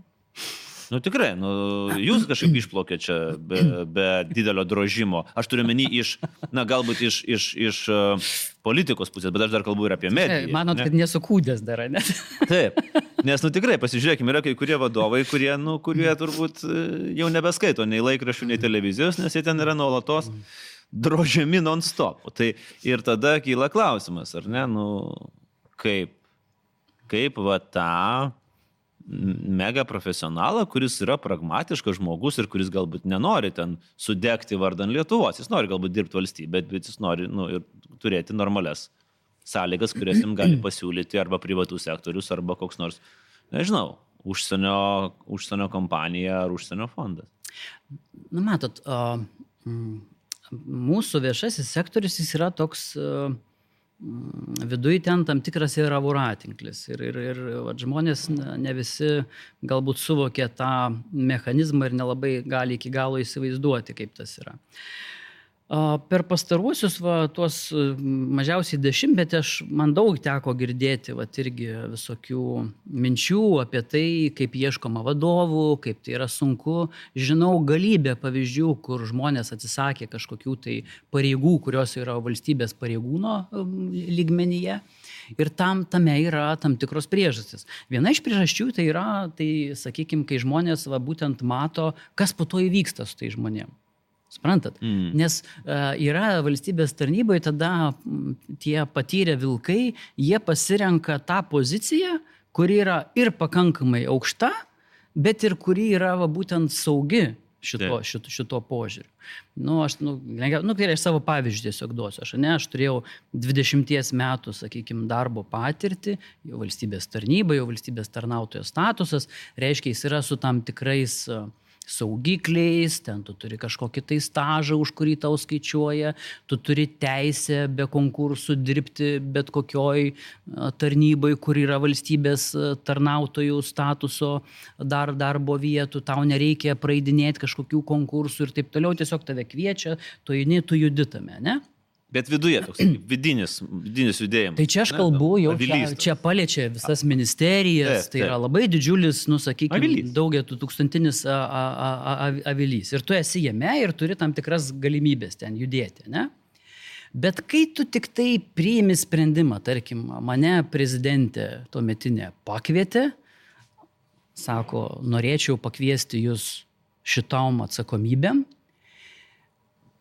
Nu tikrai, nu, jūs kažkaip išplaukė čia be, be didelio drožimo. Aš turiu menį iš, na galbūt iš, iš, iš uh, politikos pusės, bet aš dar kalbu ir apie mediją. Manot, ne? Kad nesukūdės dar, ne? Taip, nes, nu tikrai, pasižiūrėkime, yra kai kurie vadovai, kurie, nu, kurie turbūt jau nebeskaito nei laikraščių, nei televizijos, nes jie ten yra nuolatos drožiami non-stop. Tai ir tada kyla klausimas, ar ne, nu, kaip, kaip va tą mega profesionalą, kuris yra pragmatiškas žmogus ir kuris galbūt nenori ten sudegti vardan Lietuvos. Jis nori galbūt dirbti valstybę, bet jis nori nu, ir turėti normales sąlygas, kurias jam gali pasiūlyti arba privatų sektorius, arba koks nors, nežinau, užsienio, užsienio kompanija ar užsienio fondas. Nu, matot, uh, mūsų viešasis sektorius jis yra toks... Uh, Viduje ten tam tikras yra voratinklis ir, ir, ir va, žmonės ne visi galbūt suvokia tą mechanizmą ir nelabai gali iki galo įsivaizduoti, kaip tas yra. Per pastaruosius va, tuos mažiausiai dešimtmetį aš man daug teko girdėti va, irgi visokių minčių apie tai, kaip ieškoma vadovų, kaip tai yra sunku. Žinau galybę pavyzdžių, kur žmonės atsisakė kažkokių tai pareigų, kurios yra valstybės pareigūno lygmenyje. Ir tam, tame yra tam tikros priežastys. Viena iš priežasčių tai yra, tai sakykime, kai žmonės va, būtent mato, kas po to įvyksta su tai žmonėm. Suprantat? Mm. Nes uh, yra valstybės tarnyboje tada m, tie patyrę vilkai, jie pasirenka tą poziciją, kuri yra ir pakankamai aukšta, bet ir kuri yra va, būtent saugi šito, šito, šito požiūriu. Nu, aš, nu, nu, tai aš savo pavyzdžių tiesiog duosiu. Aš, ne, aš turėjau dvidešimties metų, sakykime, darbo patirtį, jau valstybės tarnyba, jau valstybės tarnautojo statusas, reiškia, jis yra su tam tikrais uh, saugikliais, ten tu turi kažkokį tai stažą, už kurį tau skaičiuoja, tu turi teisę be konkursų dirbti bet kokioj tarnybai, kur yra valstybės tarnautojų statuso dar darbo vietų, tau nereikia praeidinėti kažkokių konkursų ir taip toliau, tiesiog tave kviečia, tu eini, tu judi tame, ne? Bet viduje toks vidinis, vidinis judėjimas. Tai čia aš kalbu, jau čia, čia paliečia visas ministerijas, tai yra labai didžiulis, nu sakykime, daugia tūkstantinis a, a, a, avilys. Ir tu esi jame ir turi tam tikras galimybės ten judėti, ne? Bet kai tu tik tai priimi sprendimą, tarkim, mane prezidentė tuometinė pakvietė, sako, norėčiau pakviesti jūs šitom atsakomybėm,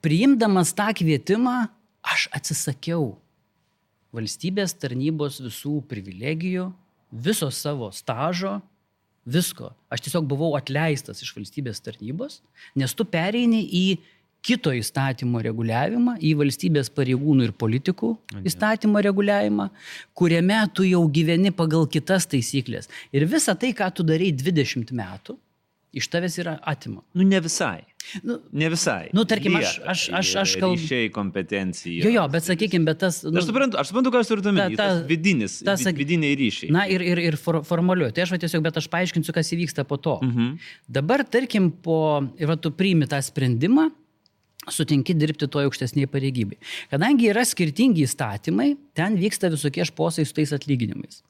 priimdamas tą kvietimą, aš atsisakiau valstybės tarnybos visų privilegijų, viso savo stažo, visko. Aš tiesiog buvau atleistas iš valstybės tarnybos, nes tu pereini į kito įstatymo reguliavimą, į valstybės pareigūnų ir politikų įstatymo reguliavimą, kuriame tu jau gyveni pagal kitas taisyklės. Ir visa tai, ką tu darai dvidešimt metų, iš tavęs yra atima. Nu, ne visai. Nu, ne visai. Nu, tarkim, aš, aš, aš, aš kalbu. Ryšiai, kompetencija. Jo, jo, bet sakykime, bet tas... Nu, aš suprantu, aš suprantu, ką jūs turite omeny, tas vidinis, tas, vidiniai ryšiai. Na, ir, ir, ir for, formaliuoju. Tai aš va tiesiog, bet aš paaiškinsiu, kas įvyksta po to. Mhm. Dabar, tarkim, po... Ir va, tu priimi tą sprendimą, sutinki dirbti toje aukštesnėje pareigybėje. Kadangi yra skirtingi įstatymai, ten vyksta visokie šposai su tais atlyginimais.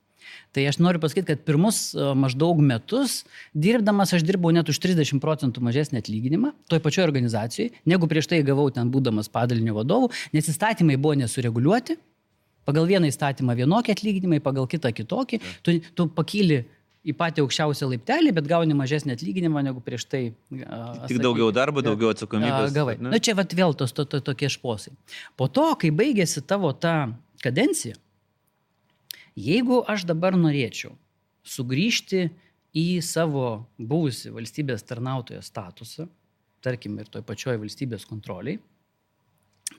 Tai aš noriu pasakyti, kad pirmus maždaug metus dirbdamas aš dirbau net už trisdešimt procentų mažesnį atlyginimą toj pačioj organizacijai, negu prieš tai gavau ten būdamas padalinio vadovu, nes įstatymai buvo nesureguliuoti. Pagal vieną įstatymą vienokie atlyginimai, pagal kitą kitokį. Tu, tu pakyli į patį aukščiausią laiptelį, bet gauni mažesnį atlyginimą negu prieš tai. A, Tik daugiau darbo, daugiau atsakomybės. Gavai. Na čia vat vėl tos to, to, tokie šposai. Po to, kai baigėsi tavo ta kadencija, jeigu aš dabar norėčiau sugrįžti į savo buvusį valstybės tarnautojo statusą, tarkim ir toj pačioj valstybės kontroliai,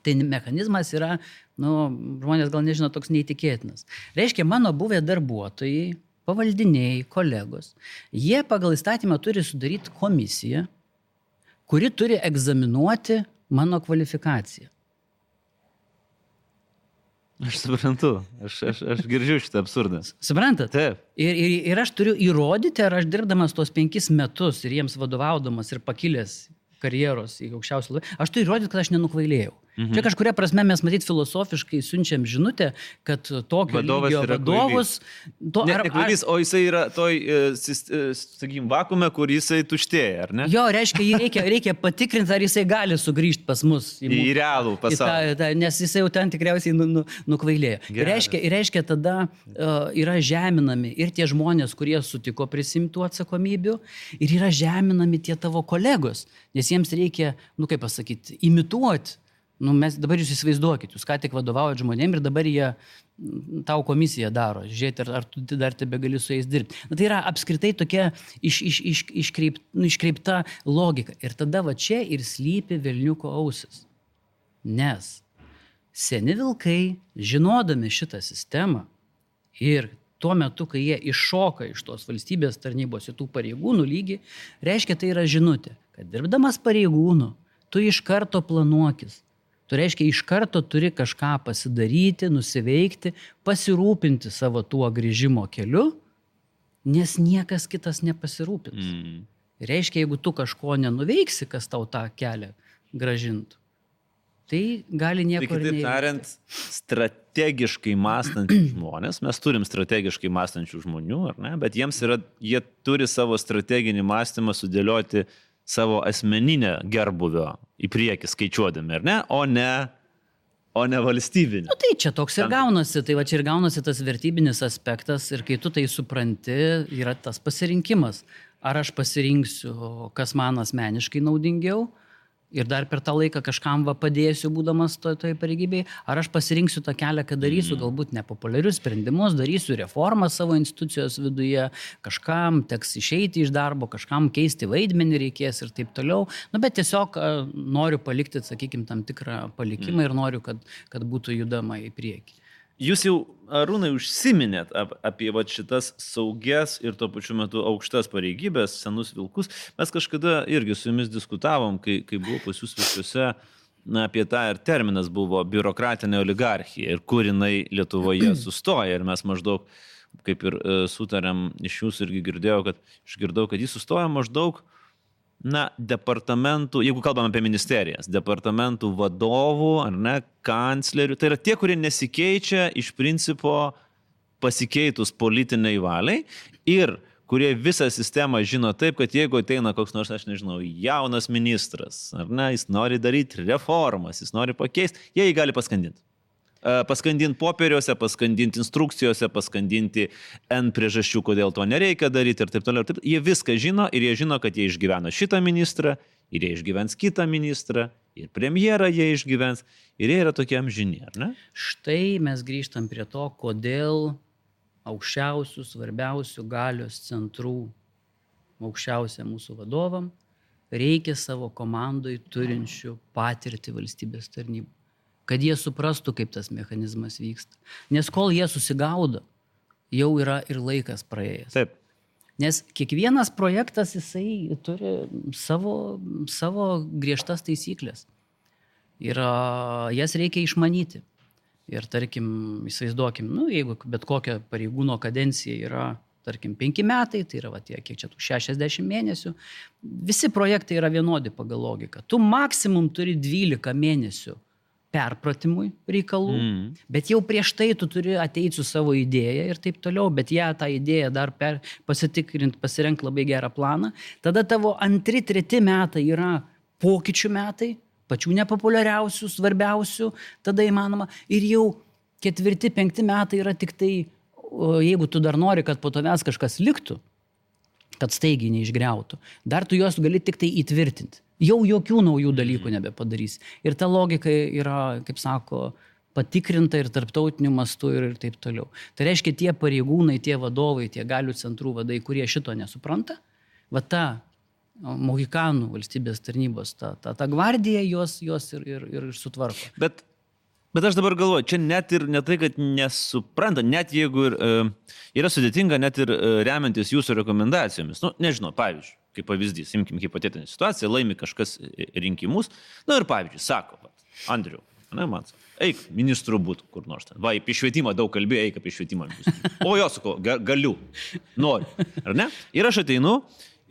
tai mechanizmas yra, nu, žmonės gal nežino, toks neįtikėtinas. Reiškia, mano buvę darbuotojai, pavaldiniai, kolegos, jie pagal įstatymą turi sudaryti komisiją, kuri turi egzaminuoti mano kvalifikaciją. Aš suprantu, aš, aš, aš girdžiu šitą absurdą. Suprantat? Taip. Ir, ir, ir aš turiu įrodyti, ar aš dirbdamas tos penkis metus ir jiems vadovaudamas ir pakilęs karjeros į aukščiausią lygį, aš turiu įrodyti, kad aš nenukvailėjau. Mhm. Čia kažkuria prasme mes matyt filosofiškai siunčiam žinutę, kad tokio vadovas lygio vadovus... To, Net nekvailys, o jisai yra toj, sakykim, vakume, kur jisai tuštėja, ar ne? Jo, reiškia, jį reikia, reikia patikrinti, ar jisai gali sugrįžti pas mus. Į, į realų pasaulį. Į tą, tą, nes jisai jau ten tikriausiai nu, nu, nukvailėjo. Ir reiškia, ir reiškia, tada uh, yra žeminami ir tie žmonės, kurie sutiko prisimtų atsakomybių, ir yra žeminami tie tavo kolegos, nes jiems reikia, nu kaip pasakyti, imituoti. Nu, mes dabar jūs įsivaizduokit, jūs ką tik vadovaujat žmonėm ir dabar jie tau komisiją daro, žiūrėti, ar, ar tu dar tebe gali su jais dirbti. Na, tai yra apskritai tokia iš, iš, iš, iškreip, iškreipta logika. Ir tada va čia ir slypi velniuko ausis. Nes seni vilkai, žinodami šitą sistemą ir tuo metu, kai jie iššoka iš tos valstybės tarnybos į tų pareigūnų lygį, reiškia, tai yra žinutė, kad dirbdamas pareigūnų, tu iš karto planuokis. Tu reiškia, iš karto turi kažką pasidaryti, nusiveikti, pasirūpinti savo tuo grįžimo keliu, nes niekas kitas nepasirūpins. Mm. Reiškia, jeigu tu kažko nenuveiksi, kas tau tą kelią gražintų, tai gali nieko tai, ir neįvykti. Kitaip tariant, strategiškai mąstančių žmonės, mes turim strategiškai mąstančių žmonių, ar ne? Bet jiems yra, jie turi savo strateginį mąstymą sudėlioti savo asmeninę gerbuvio į priekį skaičiuodami, ar ne? O ne, o ne valstybinį. Nu, tai čia toks ir gaunasi, tai va čia ir gaunasi tas vertybinis aspektas ir kai tu tai supranti, yra tas pasirinkimas. Ar aš pasirinksiu, kas man asmeniškai naudingiau ir dar per tą laiką kažkam va padėsiu, būdamas toj, toj pareigybėj, ar aš pasirinksiu tą kelią, kad darysiu galbūt nepopuliarius sprendimus, darysiu reformą savo institucijos viduje, kažkam teks išeiti iš darbo, kažkam keisti vaidmenį reikės ir taip toliau. Nu, bet tiesiog noriu palikti, sakykime, tam tikrą palikimą ir noriu, kad, kad būtų judama į priekį. Jūs jau, Arūnai, užsiminėt ap, apie va, šitas saugias ir tuo pačiu metu aukštas pareigybės, senus vilkus. Mes kažkada irgi su jumis diskutavom, kai, kai buvo pas jūs visuose, na, apie tą ir terminas buvo biurokratinė oligarchija ir kur jinai Lietuvoje sustoja. Ir mes maždaug, kaip ir sutarėm, iš jūsų irgi girdėjau, kad išgirdau, kad jis sustoja maždaug, na, departamentų, jeigu kalbame apie ministerijas, departamentų vadovų, ar ne, kanclerių, tai yra tie, kurie nesikeičia iš principo pasikeitus politiniai valiai ir kurie visą sistemą žino taip, kad jeigu ateina koks nors, aš nežinau, jaunas ministras, ar ne, jis nori daryti reformas, jis nori pakeisti, jie jį gali paskandinti. Paskandinti popieriuose, paskandinti instrukcijose, paskandinti N priežasčių, kodėl to nereikia daryti ir taip toliau. Ir taip. Jie viską žino ir jie žino, kad jie išgyveno šitą ministrą ir jie išgyvens kitą ministrą ir premjerą jie išgyvens ir jie yra tokie amžini, ar ne? Štai mes grįžtam prie to, kodėl aukščiausių, svarbiausių galios centrų aukščiausia mūsų vadovam reikia savo komandoj turinčių patirtį valstybės tarnybų. Kad jie suprastų, kaip tas mechanizmas vyksta. Nes kol jie susigaudo, jau yra ir laikas praėjęs. Taip. Nes kiekvienas projektas, jisai turi savo, savo griežtas taisyklės. Ir jas reikia išmanyti. Ir tarkim, įsivaizduokim, nu, jeigu bet kokia pareigūno kadencija yra, tarkim, penki metai, tai yra, va, tie, kiek čia tų šešiasdešimt mėnesių, visi projektai yra vienodi pagal logiką. Tu maksimum turi dvylika mėnesių perpratimui reikalų, mm. bet jau prieš tai tu turi ateiti su savo idėją ir taip toliau, bet ją tą idėją dar per, pasitikrinti, pasirenk labai gerą planą. Tada tavo antri, treti metai yra pokyčių metai, pačių nepopuliariausių, svarbiausių, tada įmanoma. Ir jau ketvirti, penkti metai yra tik tai, jeigu tu dar nori, kad po tavęs kažkas liktų, kad staigiai neišgriautų. Dar tu juos gali tik tai įtvirtinti. Jau jokių naujų dalykų nebepadarys. Ir ta logika yra, kaip sako, patikrinta ir tarptautiniu mastu ir, ir taip toliau. Tai reiškia, tie pareigūnai, tie vadovai, tie galių centrų vadai, kurie šito nesupranta, va ta mohikanų valstybės tarnybos, ta, ta, ta gvardija juos, juos ir, ir, ir sutvarko. Bet, bet aš dabar galvoju, čia net ir ne tai, kad nesupranta, net jeigu ir, e, yra sudėtinga, net ir e, remiantis jūsų rekomendacijomis. Nu, nežinau, pavyzdžiui, kaip pavyzdys, imkim hipotetinę situaciją, laimi kažkas rinkimus, na ir pavyzdžiui, sako, Andriu, ne, man sako, eik, ministru būtų kur nors ten. Va, apie švietimą daug kalbėjai, eik apie švietimą. O jo, sako, galiu, noriu, ar ne? Ir aš ateinu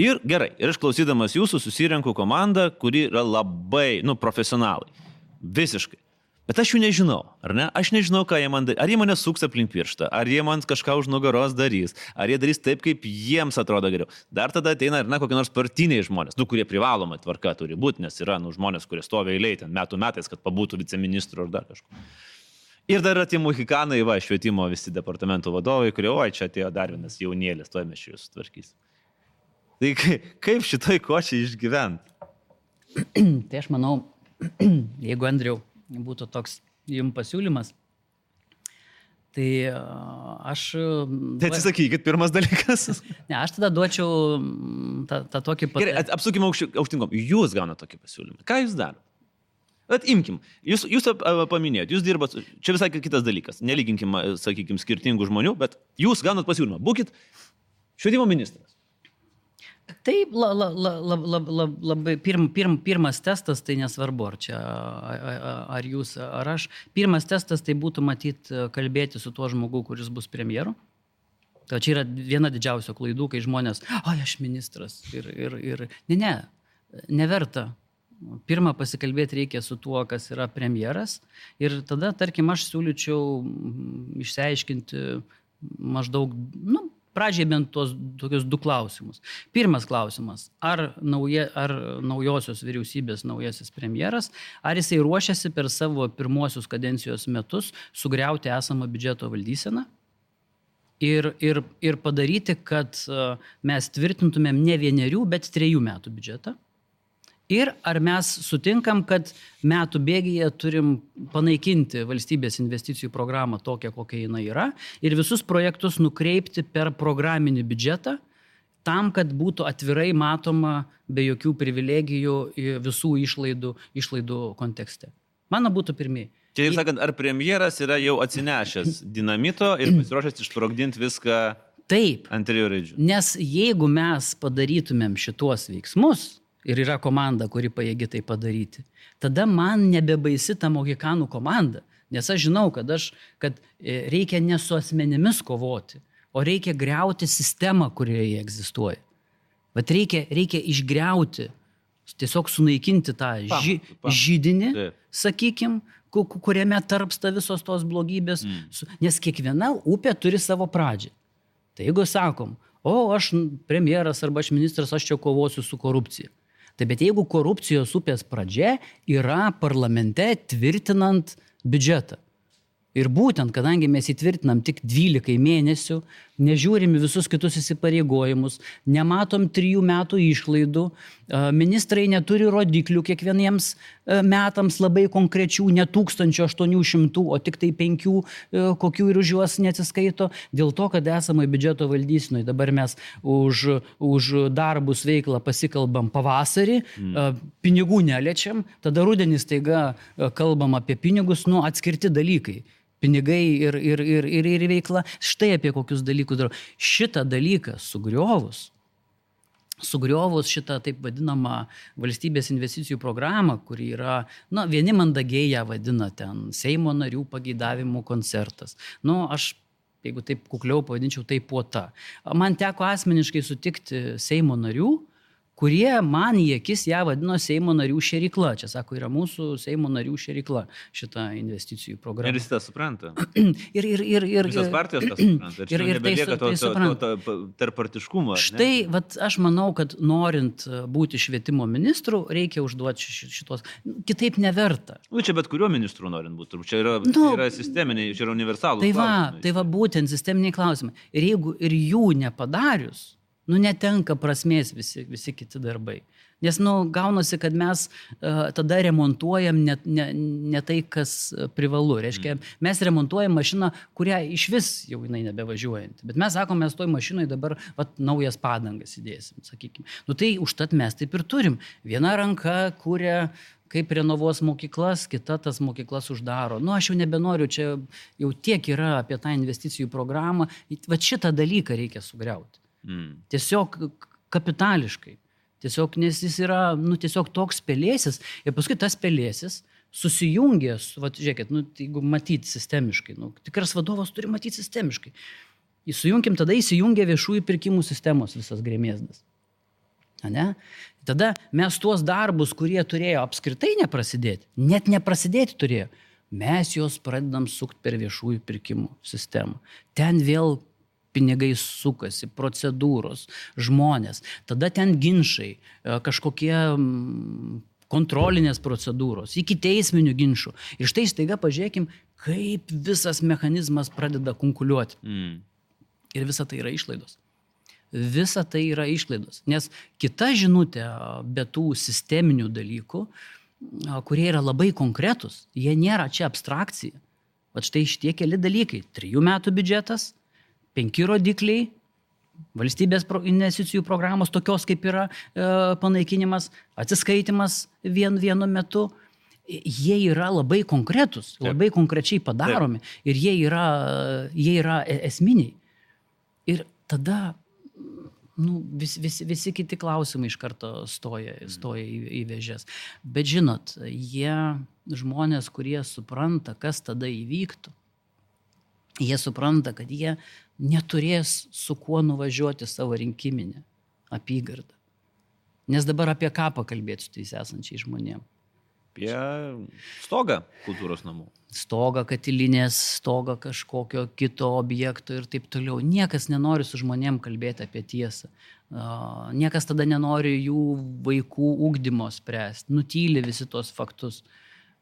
ir gerai, ir aš klausydamas jūsų susirenku komandą, kuri yra labai, nu, profesionalai. Visiškai. Bet aš jų nežinau, ar ne? Aš nežinau, ką jie man darys. Ar jie mane suks aplink pirštą, ar jie man kažką už nugaros darys, ar jie darys taip, kaip jiems atrodo geriau. Dar tada ateina, ar ne, kokie nors partiniai žmonės, nu, kurie privaloma tvarka turi būti, nes yra, nu, žmonės, kurie stovi eilėj ten metų metais, kad pabūtų viceministru ar dar kažko. Ir dar yra tie mohikanai, va, švietimo visi departamento vadovai, kurie, oi, čia atėjo dar vienas jaunėlis, tuoj mes čia jūs sutvarkys. Tai kaip šitoj kočiai išgyventi? Tai aš manau, jeigu Andriau būtų toks jums pasiūlymas, tai aš... Tai atsisakykit, pirmas dalykas. Ne, aš tada duočiau tą, tą tokį... Pat... Gerai, apsukime aukštinkom. Jūs gaunate tokį pasiūlymą. Ką jūs darote? Bet imkim, jūs, jūs paminėjot, jūs dirbat, čia visai kitas dalykas. Nelyginkim, sakykim, skirtingų žmonių, bet jūs gaunat pasiūlymą. Būkit švietimo ministras. Taip, la, la, la, la, la, la, labai pirm, pirm, pirmas testas, tai nesvarbu, ar čia, ar jūs, ar aš. Pirmas testas tai būtų matyti kalbėti su tuo žmogu, kuris bus premjeru. Tai čia yra viena didžiausių klaidų, kai žmonės, ai, aš ministras. Ir, ir, ir, ne, ne, neverta. Pirmą pasikalbėti reikia su tuo, kas yra premjeras. Ir tada, tarkim, aš siūlyčiau išsiaiškinti maždaug, nu, pradžiai bent tuos tokius du klausimus. Pirmas klausimas, ar, nauja, ar naujosios vyriausybės naujasis premjeras, ar jisai ruošiasi per savo pirmuosius kadencijos metus sugriauti esamą biudžeto valdyseną ir, ir, ir padaryti, kad mes tvirtintumėm ne vienerių, bet trejų metų biudžetą. Ir ar mes sutinkam, kad metų bėgyje turim panaikinti valstybės investicijų programą tokią, kokia jinai yra, ir visus projektus nukreipti per programinį biudžetą, tam, kad būtų atvirai matoma be jokių privilegijų visų išlaidų, išlaidų kontekste. Mano būtų pirmieji. Čia, ir sakant, ar premjeras yra jau atsinešęs dinamito ir pasiruošęs išsprogdinti viską Taip, ant trijų raidžių? Nes jeigu mes padarytumėm šituos veiksmus, ir yra komanda, kuri pajėgi tai padaryti, tada man nebebaisi ta mohikanų komanda, nes aš žinau, kad, aš, kad reikia ne su asmenimis kovoti, o reikia griauti sistemą, kurioje egzistuoja. Bet reikia, reikia išgriauti, tiesiog sunaikinti tą ži, židinį, sakykim, kuriame tarpsta visos tos blogybės, mm. nes kiekviena upė turi savo pradžią. Tai jeigu sakom, o aš premjeras arba aš ministras, aš čia kovosiu su korupcija. Tai bet jeigu korupcijos upės pradžia yra parlamente tvirtinant biudžetą. Ir būtent, kadangi mes įtvirtinam tik dvylikai mėnesių, nežiūrim visus kitus įsipareigojimus, nematom trijų metų išlaidų, ministrai neturi rodiklių kiekvieniems metams labai konkrečių, ne tūkstančio aštuonių šimtų, o tik tai penkių, kokių ir už juos neatsiskaito, dėl to, kad esame biudžeto valdysenoj. Dabar mes už, už darbus veiklą pasikalbam pavasarį, mm. pinigų neliečiam, tada rudenį staiga kalbam apie pinigus, nu atskirti dalykai. Pinigai ir, ir, ir, ir, ir veikla. Štai apie kokius dalykus darau. Šitą dalyką sugriovus, sugriovus šitą taip vadinamą valstybės investicijų programą, kuri yra, na, vieni mandagiai ją vadina ten Seimo narių pageidavimų koncertas. Nu, aš, jeigu taip kukliau pavadinčiau, tai puota. Man teko asmeniškai sutikti Seimo narių, kurie man į akis ją vadino Seimo narių šerykla. Čia, sako, yra mūsų Seimo narių šerykla šitą investicijų programą. Ir jis tą supranta. ir, ir, ir, ir, Visos partijos tą supranta. Ir, ir, ir nebelieka tai, to, tai to, to, to tarppartiškumo. Štai, vat, aš manau, kad norint būti švietimo ministru, reikia užduoti šitos. Kitaip neverta. Nu, čia bet kuriuo ministru norint būti. Čia yra, nu, yra sisteminiai, čia yra universalūs tai va, klausimai. Tai va, būtent sisteminiai klausimai. Ir jeigu ir jų nepadarius, Nu, netenka prasmės visi, visi kiti darbai. Nes, nu, gaunasi, kad mes uh, tada remontuojam ne, ne, ne tai, kas privalu. Reiškia, mes remontuojam mašiną, kurią iš vis jau jinai nebevažiuojanti. Bet mes sakom, mes toj mašinai dabar vat, naujas padangas įdėsim, sakykime. Nu, tai užtat mes taip ir turim. Viena ranka kuria, kaip renovuos mokyklas, kita tas mokyklas uždaro. Nu, aš jau nebenoriu, čia jau tiek yra apie tą investicijų programą. Vat šitą dalyką reikia sugriauti. Mm. Tiesiog kapitališkai. Tiesiog, nes jis yra, nu, tiesiog toks pelėsis. Ir paskui tas pelėsis susijungęs, vat, žiūrėkit, nu, jeigu matyti sistemiškai, nu, tikras vadovas turi matyti sistemiškai. Įsijunkim, tada įsijungia viešųjų pirkimų sistemos visas grėmėsdas. Ne? Tada mes tuos darbus, kurie turėjo apskritai neprasidėti, net neprasidėti turėjo, mes juos pradedam sukti per viešųjų pirkimų sistemą. Ten vėl pinigai sukasi, procedūros, žmonės, tada ten ginčai, kažkokie kontrolinės procedūros, iki teisminių ginčių. Ir štai staiga pažiūrėkim, kaip visas mechanizmas pradeda kunkuliuoti. Mm. Ir visa tai yra išlaidos. Visa tai yra išlaidos. Nes kita žinutė be tų sisteminių dalykų, kurie yra labai konkretus, jie nėra čia abstrakcija. Vat štai šitie keli dalykai. Trijų metų biudžetas, penki rodikliai, valstybės investicijų programos, tokios kaip yra e, panaikinimas, atsiskaitimas vien vienu metu, jie yra labai konkretus, Taip. labai konkrečiai padaromi Taip. ir jie yra, jie yra esminiai. Ir tada nu, vis, vis, visi kiti klausimai iš karto stoja, stoja į, į vėžes. Bet žinot, jie žmonės, kurie supranta, kas tada įvyktų, jie supranta, kad jie neturės su kuo nuvažiuoti savo rinkiminę apygardą. Nes dabar apie ką pakalbėti su tais esančiai žmonėm? Apie stogą kultūros namų. Stogą katilinės, stogą kažkokio kito objekto ir taip toliau. Niekas nenori su žmonėm kalbėti apie tiesą. Niekas tada nenori jų vaikų ugdymo spręsti. Nutyli visi tos faktus.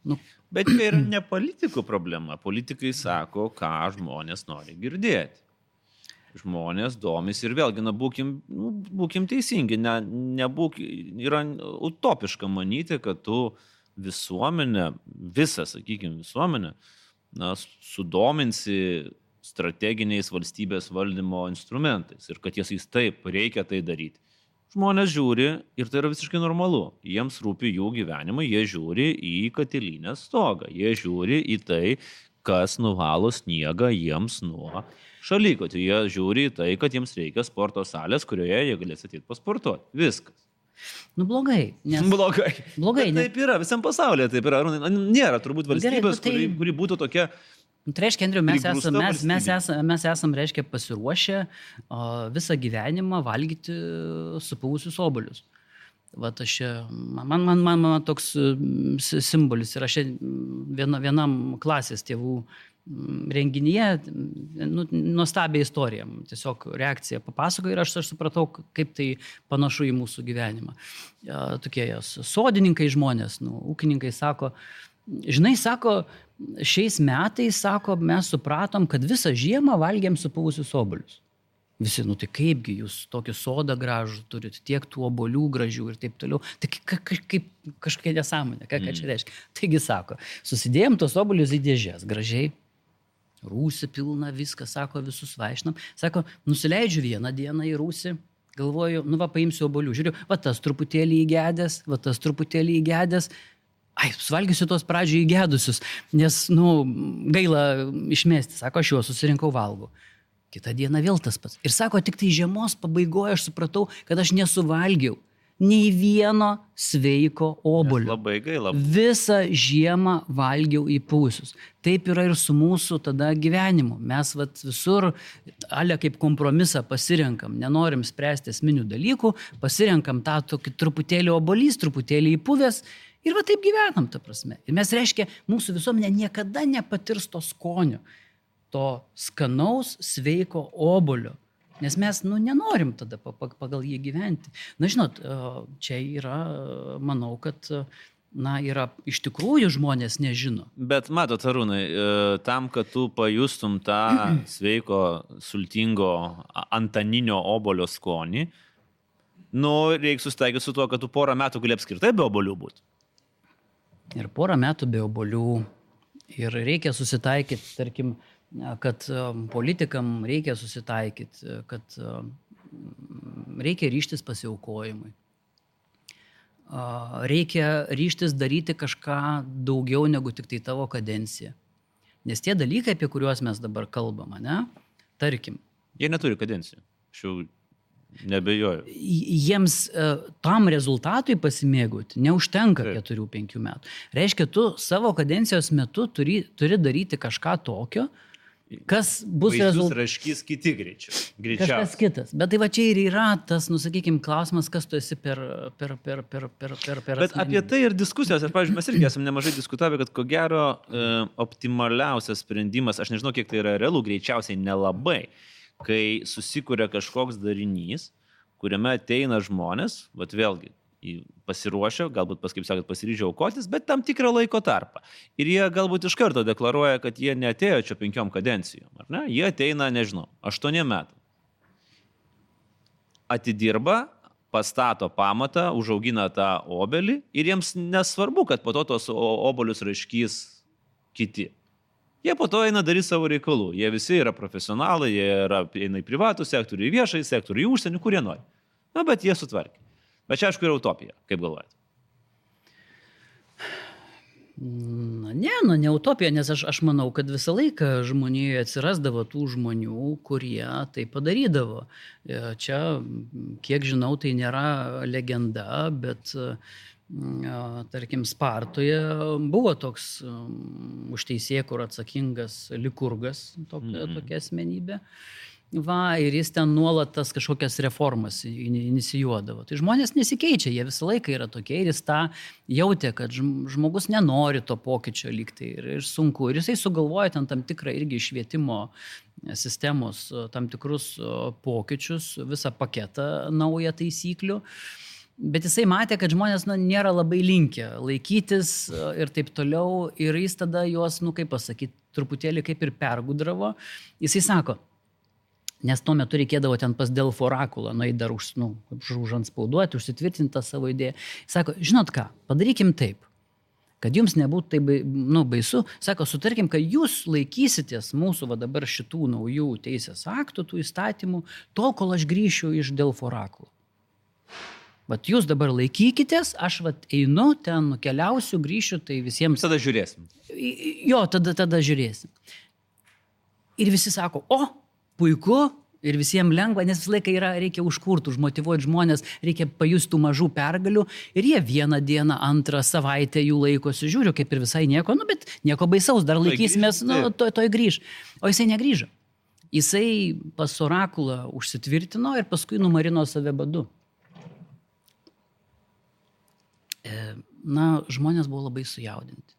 Nu, Bet tai yra ne politikų problema. Politikai sako, ką žmonės nori girdėti. Žmonės domisi ir vėlgi, na, būkim, nu, būkim teisingi. Ne, nebūk, yra utopiška manyti, kad tu visuomenę, visą, sakykime, visuomenę, na, sudominsi strateginiais valstybės valdymo instrumentais ir kad jais taip reikia tai daryti. Žmonės žiūri ir tai yra visiškai normalu. Jiems rūpi jų gyvenimai, jie žiūri į katilinės stogą. Jie žiūri į tai, kas nuvalo sniegą jiems nuo šalykočių. Jie žiūri į tai, kad jiems reikia sporto salės, kurioje jie galės ateiti pasportuoti. Viskas. Nu blogai. Nes... Blogai. blogai Bet taip yra, visam pasaulyje taip yra. Nėra turbūt valstybės, Gerai, tai... kuri, kuri būtų tokia... Tai reiškia, Andriu, mes esam, mes, mes, esam, mes esam, reiškia, pasiruošę o, visą gyvenimą valgyti supuvusius obuolius. Vat aš, man, man, man, man toks simbolis ir aš viena, vienam klasės tėvų renginyje, nu, nuostabią istoriją, tiesiog reakciją papasakoju ir aš, aš supratau, kaip tai panašu į mūsų gyvenimą. Tokie jos sodininkai žmonės, nu, ūkininkai sako, žinai, sako, šiais metais, sako, mes supratom, kad visą žiemą valgėm supuvusius obuolius. Visi, nu tai kaipgi jūs tokį sodą gražų turit, tiek tų obuolių gražių ir taip toliau. Tai kaip kažkokia nesąmonė, ką, ką čia reiškia. Taigi sako, susidėjom tos obuolius į dėžės, gražiai, rūsį pilna, viską, sako, visus vaišnam. Sako, nusileidžiu vieną dieną į rūsį, galvoju, nu va, paimsiu obuolių. Žiūriu, va tas truputėlį įgedęs, va tas truputėlį įgedęs. Ai, suvalgysiu tos pradžioj įgedusius, nes, nu, gaila išmesti. Sako, aš juos susirinkau valgau. Kita diena vėl tas pats. Ir sako, tik tai žiemos pabaigoje aš supratau, kad aš nesuvalgiau nei vieno sveiko obuolio. Labai gaila. Visą žiemą valgiau įpūsius. Taip yra ir su mūsų tada gyvenimu. Mes vat visur, ale kaip kompromisą pasirenkam, nenorim spręsti esminių dalykų, pasirenkam tą tokį truputėlį obuolys, truputėlį įpuvęs. Ir va taip gyvenam, ta prasme. Ir mes, reiškia, mūsų visuomenė niekada nepatirs to skonio, to skanaus, sveiko obuolio. Nes mes, nu, nenorim tada pagal jį gyventi. Na, žinot, čia yra, manau, kad na, yra iš tikrųjų žmonės nežino. Bet matot, Arūnai, tam, kad tu pajustum tą sveiko, sultingo, antaninio obolio skonį, nu, reikia susitaikyti su tuo, kad tu porą metų gali apskritai be obolių būti. Ir porą metų be obolių. Ir reikia susitaikyti, tarkim, kad politikam reikia susitaikyti, kad reikia ryštis pasiaukojimui. Reikia ryštis daryti kažką daugiau negu tik tai tavo kadencija. Nes tie dalykai, apie kuriuos mes dabar kalbam, ne, tarkim. Jie neturi kadencijų. Aš jau nebejoju. Jiems tam rezultatui pasimėgauti neužtenka keturių penkių metų. Reiškia, tu savo kadencijos metu turi, turi daryti kažką tokio, kas bus rezultatas. Raškys kiti greičiau. Kažkas kitas. Bet tai va čia ir yra tas, nusakykime, klausimas, kas tu esi per... per, per, per, per, per, per Bet apie tai ir diskusijos. Ir, pavyzdžiui, mes irgi esame nemažai diskutavę, kad ko gero e, optimaliausias sprendimas, aš nežinau, kiek tai yra realu, greičiausiai nelabai, kai susikuria kažkoks darinys, kuriame ateina žmonės, vat vėlgi, pasiruošę, galbūt pas, kaip sakot, pasiryžę aukotis, bet tam tikrą laiko tarpą. Ir jie galbūt iš karto deklaruoja, kad jie neatėjo čia penkiom kadencijom, ar ne? Jie ateina, nežinau, aštuoniem metų. Atidirba, pastato pamatą, užaugina tą obelį ir jiems nesvarbu, kad po to tos obolius raškys kiti. Jie po to eina daryti savo reikalų. Jie visi yra profesionalai, jie yra, eina į privatų sektorių, į viešąjį sektorių, į užsienį, kurie nori. Na, bet jie sutvarkė. Bet čia, aišku, yra utopija, kaip galvojate? Na, ne, nu, ne utopija, nes aš, aš manau, kad visą laiką žmonijoje atsirasdavo tų žmonių, kurie tai padarydavo. Čia, kiek žinau, tai nėra legenda, bet, tarkim, Spartoje buvo toks už teisėkūrą atsakingas Likurgas, tokia, mm. tokia asmenybė. Va, ir jis ten nuolat tas kažkokias reformas inicijuodavo. Tai žmonės nesikeičia, jie visą laiką yra tokie ir jis tą jautė, kad žmogus nenori to pokyčio lygtai ir, ir sunku. Ir jisai sugalvoja ten tam tikrą irgi švietimo sistemos tam tikrus pokyčius, visą paketą naują taisyklių. Bet jisai matė, kad žmonės nu, nėra labai linkę laikytis ir taip toliau. Ir jis tada juos, nu kaip pasakyti, truputėlį kaip ir pergudravo. Jisai sako, nes tuo metu reikėdavo ten pas Delfo orakulą, nueit dar už, nu, užanspauduoti, užsitvirtinti tą savo idėją. Jis sako, žinot ką, padarykim taip, kad jums nebūtų tai nu, baisu. Sako, sutarkim, kad jūs laikysitės mūsų va dabar šitų naujų teisės aktų, tų įstatymų, tol, kol aš grįšiu iš Delfo orakulo. Vat jūs dabar laikykitės, aš vat einu, ten nukeliausiu, grįšiu, tai visiems... Tada žiūrėsim. Jo, tada, tada žiūrėsim. Ir visi sako, o, puiku, ir visiems lengva, nes visą laiką yra, reikia užkurti, užmotyvuoti žmonės, reikia pajusti mažų pergalių ir jie vieną dieną, antrą savaitę jų laikosi, žiūriu, kaip ir visai nieko, nu, bet nieko baisaus, dar laikysimės, nu, toj, toj grįž. O jisai negrįžo. Jisai pas orakulą užsitvirtino ir paskui numarino save badu. Na, žmonės buvo labai sujaudinti.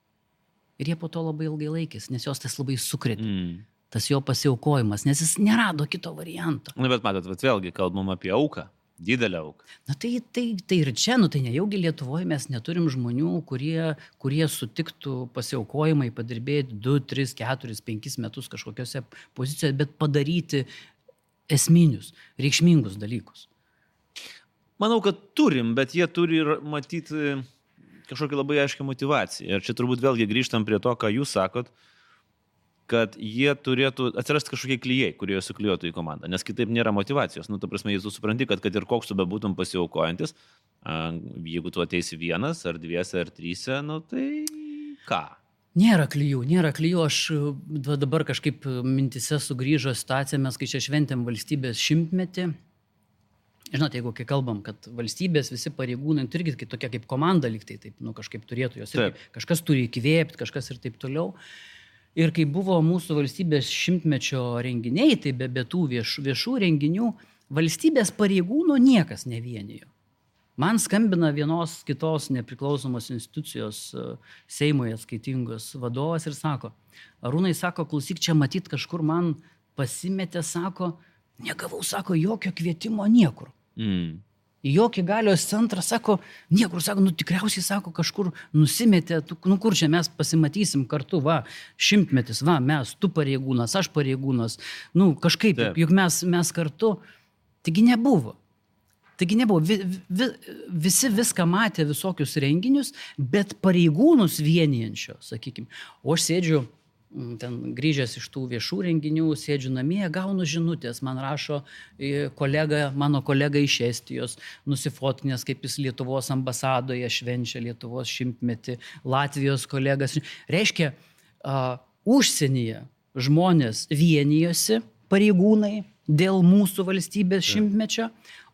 Ir jie po to labai ilgai laikėsi, nes jos tas labai sukrėtė. Mm. Tas jo pasiaukojimas, nes jis nerado kito varianto. Na, bet matot, bet vėlgi kalbam apie auką, didelę auką. Na, tai, tai, tai ir čia, nu, tai nejaugi Lietuvoje mes neturim žmonių, kurie, kurie sutiktų pasiaukojimai padirbėti du, tris, keturis, penkis metus kažkokiose pozicijose, bet padaryti esminius, reikšmingus dalykus. Manau, kad turim, bet jie turi ir matyti kažkokią labai aiškią motyvaciją. Ir čia turbūt vėlgi grįžtam prie to, ką jūs sakot, kad jie turėtų atsirasti kažkokie klijai, kurie suklijuotų į komandą, nes kitaip nėra motyvacijos. Nu, ta prasme, jis tu supranti, kad, kad ir koks tu bebūtum pasiaukojantis, jeigu tu ateisi vienas, ar dviese, ar tryse, nu tai ką? Nėra klijų, nėra klijų. Aš dabar kažkaip mintise sugrįžo situacija, mes kai čia šventėm valstybės šimtmetį. Žinote, jeigu kai kalbam, kad valstybės visi pareigūnai, tai irgi tokia kaip komanda lygtai, taip, nu, kažkaip turėtų jos irgi, kažkas turi įkvėpti, kažkas ir taip toliau. Ir kai buvo mūsų valstybės šimtmečio renginiai, tai be, be tų vieš, viešų renginių, valstybės pareigūnų niekas nevienijo. Man skambina vienos kitos nepriklausomos institucijos Seimui atskaitingos vadovas ir sako, Arūnai, sako, klausyk, čia matyt kažkur man pasimetė, sako, negavau, sako, jokio kvietimo niekur. Mm. į jokį galios centrą, sako, niekur, sako, nu tikriausiai, sako, kažkur nusimetė, tu, nu kur čia mes pasimatysim kartu, va, šimtmetis, va, mes, tu pareigūnas, aš pareigūnas, nu kažkaip, Taip. juk mes, mes kartu, taigi nebuvo. Taigi nebuvo, vi, vi, visi viską matė, visokius renginius, bet pareigūnus vienijančio, sakykime. O aš sėdžiu, ten grįžęs iš tų viešų renginių, sėdžiu namie, gaunu žinutės, man rašo kolega, mano kolega iš Estijos, nusifotkinęs, kaip jis Lietuvos ambasadoje švenčia Lietuvos šimtmetį, Latvijos kolegas. Reiškia, uh, užsienyje žmonės vienijosi, pareigūnai, dėl mūsų valstybės šimtmečio,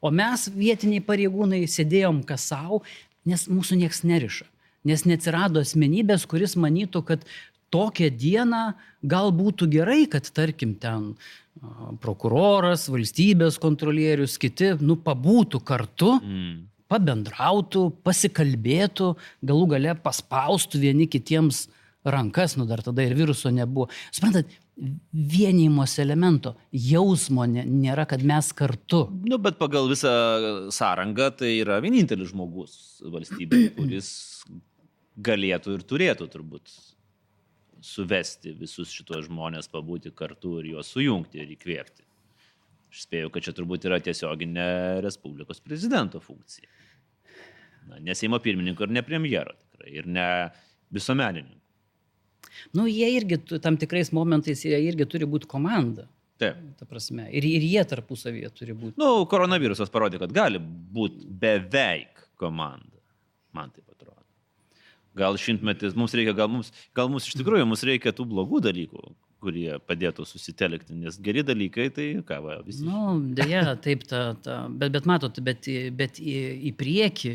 o mes vietiniai pareigūnai sėdėjom kas savo, nes mūsų nieks neriša. Nes neatsirado asmenybės, kuris manytų, kad tokią dieną gal būtų gerai, kad tarkim ten prokuroras, valstybės kontrolierius, kiti, nu, pabūtų kartu, mm. pabendrautų, pasikalbėtų, galų gale paspaustų vieni kitiems rankas, nu dar tada ir viruso nebuvo. Suprantat, vienijimos elemento, jausmo nėra, kad mes kartu. Nu, bet pagal visą sąrangą tai yra vienintelis žmogus valstybėje, kuris galėtų ir turėtų turbūt suvesti visus šitos žmonės, pabūti kartu ir juos sujungti ir įkvėpti. Aš spėju, kad čia turbūt yra tiesioginė Respublikos prezidento funkcija. Na, ne Seimo pirmininko ir ne premjero tikrai, ir ne visuomenininkų. Nu, jie irgi, tam tikrais momentais, jie irgi turi būti komanda. Taip. Ta prasme. Ir, ir jie tarpusavyje turi būti. Nu, koronavirusas parodė, kad gali būti beveik komanda. Man taip atrodo. Gal šimtmetis, mums reikia, gal mums, gal mums iš tikrųjų mums reikia tų blogų dalykų, kurie padėtų susitelkti, nes geri dalykai, tai ką, va, visi. Nu, dėja, taip, ta, ta, bet, bet matot, bet, bet į, į priekį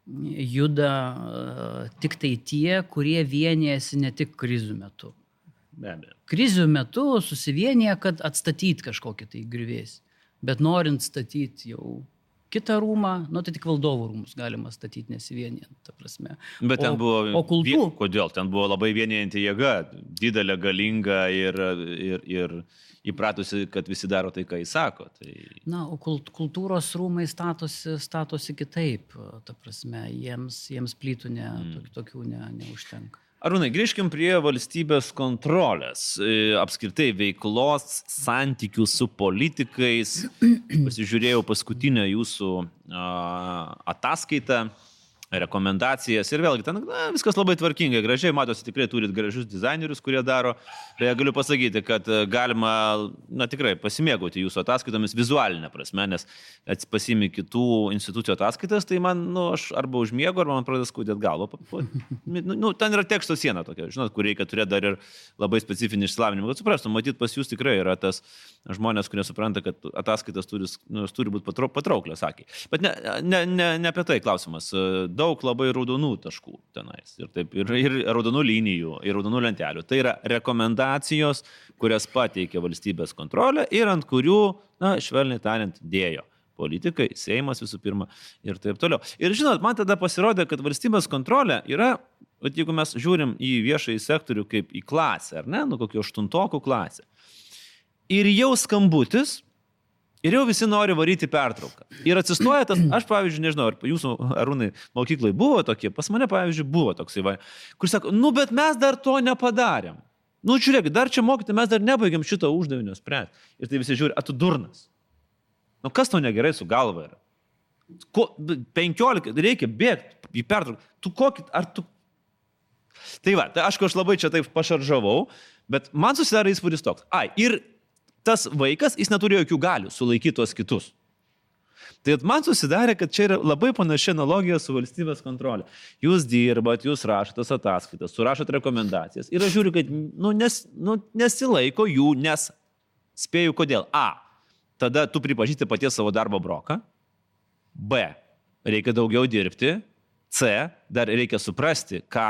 juda uh, tik tai tie, kurie vienijasi ne tik krizių metu. Be abejo. Krizių metu susivienyje, kad atstatyti kažkokį tai griuvėsį, bet norint statyti jau kitą rūmą, nu tai tik valdovų rūmus galima statyti nesivienijant, ta prasme. Bet ten o, buvo, o kultūr... kodėl? Ten buvo labai vienijanti jėga, didelė, galinga ir, ir, ir įpratusi, kad visi daro tai, ką jis sako. Tai... Na, o kult, kultūros rūmai statosi, statosi kitaip, ta prasme, jiems, jiems plytų ne, mm. tokių ne, neužtenka. Arūnai, grįžkim prie valstybės kontrolės, apskritai veiklos, santykių su politikais. Pasižiūrėjau paskutinę jūsų ataskaitą, rekomendacijas ir vėlgi ten na, viskas labai tvarkingai, gražiai, matosi, tikrai turit gražius dizainerius, kurie daro. Tai galiu pasakyti, kad galima, na tikrai, pasimėgauti jūsų ataskaitomis vizualinę prasme, nes pasimi kitų institucijų ataskaitas, tai man, nu, aš arba užmiegu, arba man pradeda skaudėti galvą. Nu, nu, ten yra teksto siena tokia, žinot, kur reikia turėti dar ir labai specifinį išsilavinimą. Kad suprastum, matyt, pas jūs tikrai yra tas žmonės, kurie supranta, kad ataskaitas turi, nu, turi būti patrauklios, sakė. Bet ne, ne, ne, ne apie tai klausimas. Daug labai raudonų taškų tenais. Ir, taip, ir, ir raudonų linijų, ir raudonų lentelių. Tai yra rekomendacijos, kurias pateikė valstybės kontrolė ir ant kurių, na, švelniai tariant, dėjo politikai, Seimas visų pirma ir taip toliau. Ir žinot, man tada pasirodė, kad valstybės kontrolė yra, jeigu mes žiūrim į viešąjį sektorių kaip į klasę, ar ne, nu kokio aštuntokų klasę. Ir jau skambutis, ir jau visi nori varyti pertrauką. Ir atsistoja tas, aš pavyzdžiui, nežinau, ar jūsų Arūnai mokyklai buvo tokie, pas mane pavyzdžiui buvo toksai, va, kur sako, nu bet mes dar to nepadarėm. Nu žiūrėk, dar čia mokyti, mes dar nebaigiam šito uždavinio spręsti. Ir tai visi žiūri, a tu durnas. Nu kas tau negerai su galva yra? Ko, penkiolika, reikia bėgti į pertrauką. Tu kokį, ar tu... Tai va, tai aišku, aš labai čia taip pašaržavau, bet man susidarė įspūdis toks. Ai, ir tas vaikas, jis neturi jokių galių sulaikyti tuos kitus. Tai man susidarė, kad čia yra labai panaši analogija su valstybės kontrolė. Jūs dirbat, jūs rašote tas ataskaitas, surašot rekomendacijas. Ir aš žiūriu, kad nu, nes, nu, nesilaiko jų, nes spėju kodėl. A. Tada tu pripažįsti paties savo darbo broką. B. Reikia daugiau dirbti. C. Dar reikia suprasti, ką,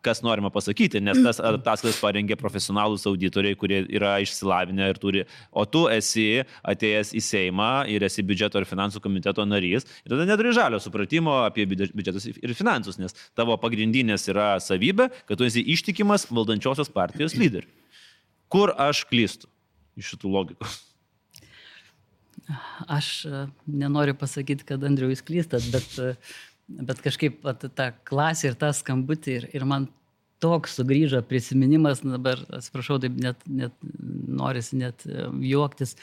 kas norima pasakyti, nes tas ataskaitas parengė profesionalūs auditoriai, kurie yra išsilavinę ir turi, o tu esi atėjęs į Seimą ir esi biudžeto ir finansų komiteto narys ir tada neturi žalio supratimo apie biudžetus ir finansus, nes tavo pagrindinės yra savybė, kad tu esi ištikimas valdančiosios partijos lyderiui. Kur aš klystu iš šitų logikų? Aš nenoriu pasakyti, kad Andriau jūs klystat, bet, bet kažkaip at, ta klasė ir ta skambutė ir, ir man toks sugrįžo prisiminimas, dabar atsiprašau, taip net, net norisi net juoktis.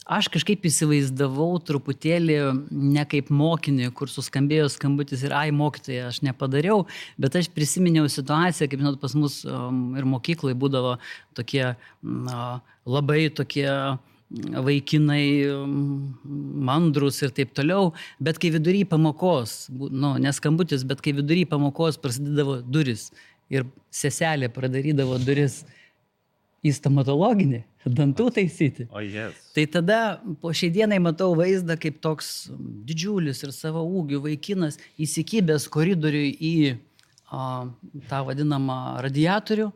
Aš kažkaip įsivaizdavau truputėlį ne kaip mokinį, kur suskambėjo skambutis ir ai mokytoja, aš nepadariau, bet aš prisiminiau situaciją, kaip žinot, pas mus um, ir mokyklai būdavo tokie uh, labai tokie vaikinai mandrus ir taip toliau, bet kai vidury pamokos, nu, neskambutis, bet kai vidury pamokos prasidėdavo duris ir seselė pradarydavo duris į stomatologinį, dantų taisyti. O oh, yes. Tai tada po šiai dienai matau vaizdą, kaip toks didžiulis ir savo ūgių vaikinas įsikibęs koridoriui į a, tą vadinamą radiatorių,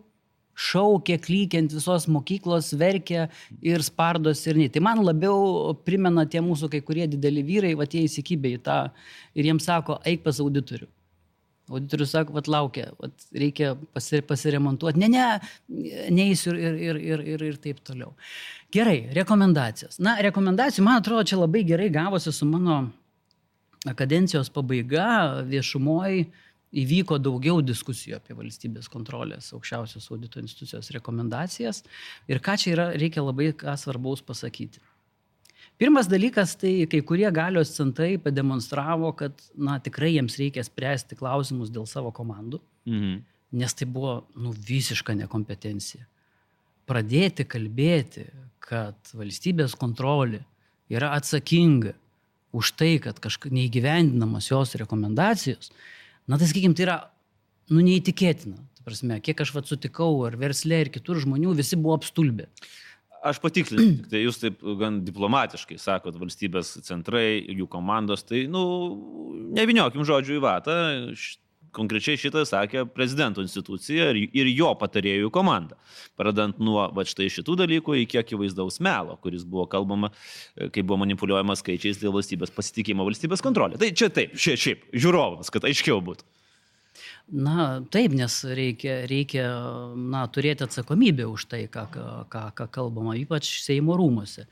šaukė, klykiant visos mokyklos, verkė ir spardos ir nei. Tai man labiau primena tie mūsų kai kurie dideli vyrai, va tie įsikibė į tą ir jiems sako, eik pas auditorių. Auditorius sako, vat laukia, vat reikia pasiremontuoti. Ne, ne, neįsiu ir, ir, ir, ir, ir taip toliau. Gerai, rekomendacijos. Na, rekomendacijų, man atrodo, čia labai gerai gavosi su mano kadencijos pabaiga viešumoj. Įvyko daugiau diskusijų apie valstybės kontrolės aukščiausios audito institucijos rekomendacijas ir ką čia yra, reikia labai ką svarbaus pasakyti. Pirmas dalykas, tai kai kurie galios centrai pademonstravo, kad na, tikrai jiems reikia spręsti klausimus dėl savo komandų, mhm. nes tai buvo nu, visiška nekompetencija. Pradėti kalbėti, kad valstybės kontrolė yra atsakinga už tai, kad kažkaip neįgyvendinamas jos rekomendacijos, na, tai sakykim, tai yra, nu, neįtikėtina. Tai prasme, kiek aš vat sutikau, ar versle, ir kitur žmonių, visi buvo apstulbę. Aš patikslinsiu, tai jūs taip gan diplomatiškai sakot, valstybės centrai, jų komandos, tai, nu, nevyniokim žodžių į vatą, konkrečiai šitą sakė prezidento institucija ir jo patarėjų komanda. Pradant nuo va štai šitų dalykų iki akivaizdaus melo, kuris buvo kalbama, kai buvo manipuliuojama skaičiais dėl valstybės pasitikėjimo valstybės kontrolė. Tai čia taip, šiaip, šiaip žiūrovams, kad aiškiau būtų. Na, taip, nes reikia, reikia na, turėti atsakomybę už tai, ką, ką, ką kalbama, ypač Seimo rūmuose.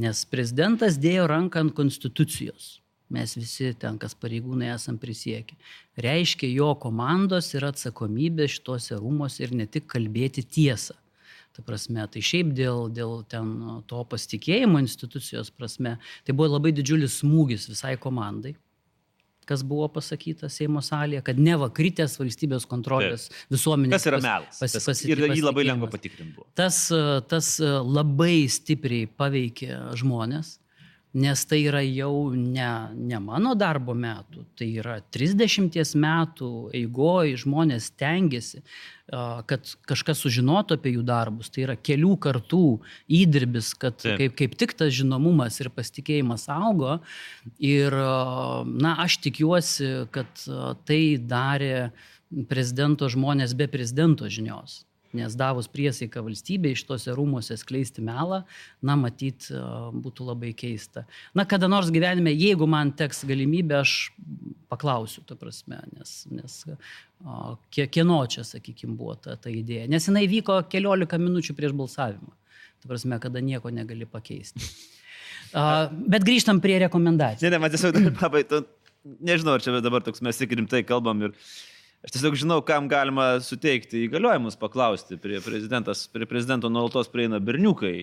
Nes prezidentas dėjo ranką ant konstitucijos. Mes visi ten, kas pareigūnai, esam prisiekę. Reiškia, jo komandos yra atsakomybė šituose rūmose ir ne tik kalbėti tiesą. Ta prasme, tai šiaip dėl, dėl ten to pasitikėjimo institucijos prasme, tai buvo labai didžiulis smūgis visai komandai, kas buvo pasakyta Seimo salėje, kad neva kritęs valstybės kontrolės visuomenės. Kas yra melas? Pas, pas, ir jį labai lengva patikrinti buvo. Tas, tas labai stipriai paveikė žmonės. Nes tai yra jau ne, ne mano darbo metų, tai yra trisdešimties metų eigoj žmonės tengiasi, kad kažkas sužinotų apie jų darbus. Tai yra kelių kartų įdirbis, kad kaip, kaip tik tas žinomumas ir pasitikėjimas augo. Ir na, aš tikiuosi, kad tai darė prezidento žmonės be prezidento žinios. Nes davus priesaiką valstybei iš tose rūmose skleisti melą, na, matyt, būtų labai keista. Na, kada nors gyvenime, jeigu man teks galimybė, aš paklausiu, ta prasme, nes, nes kieno čia, sakykime, buvo ta, ta idėja. Nes jinai vyko keliolika minučių prieš balsavimą. Ta prasme, kada nieko negali pakeisti. Bet grįžtam prie rekomendacijų. Ne, ne, man tiesiog dar pabai, nežinau, ar čia dabar toks mes tik rimtai kalbam ir aš tiesiog žinau, kam galima suteikti įgaliojimus paklausti. Prie, prie prezidento nuolatos prieina berniukai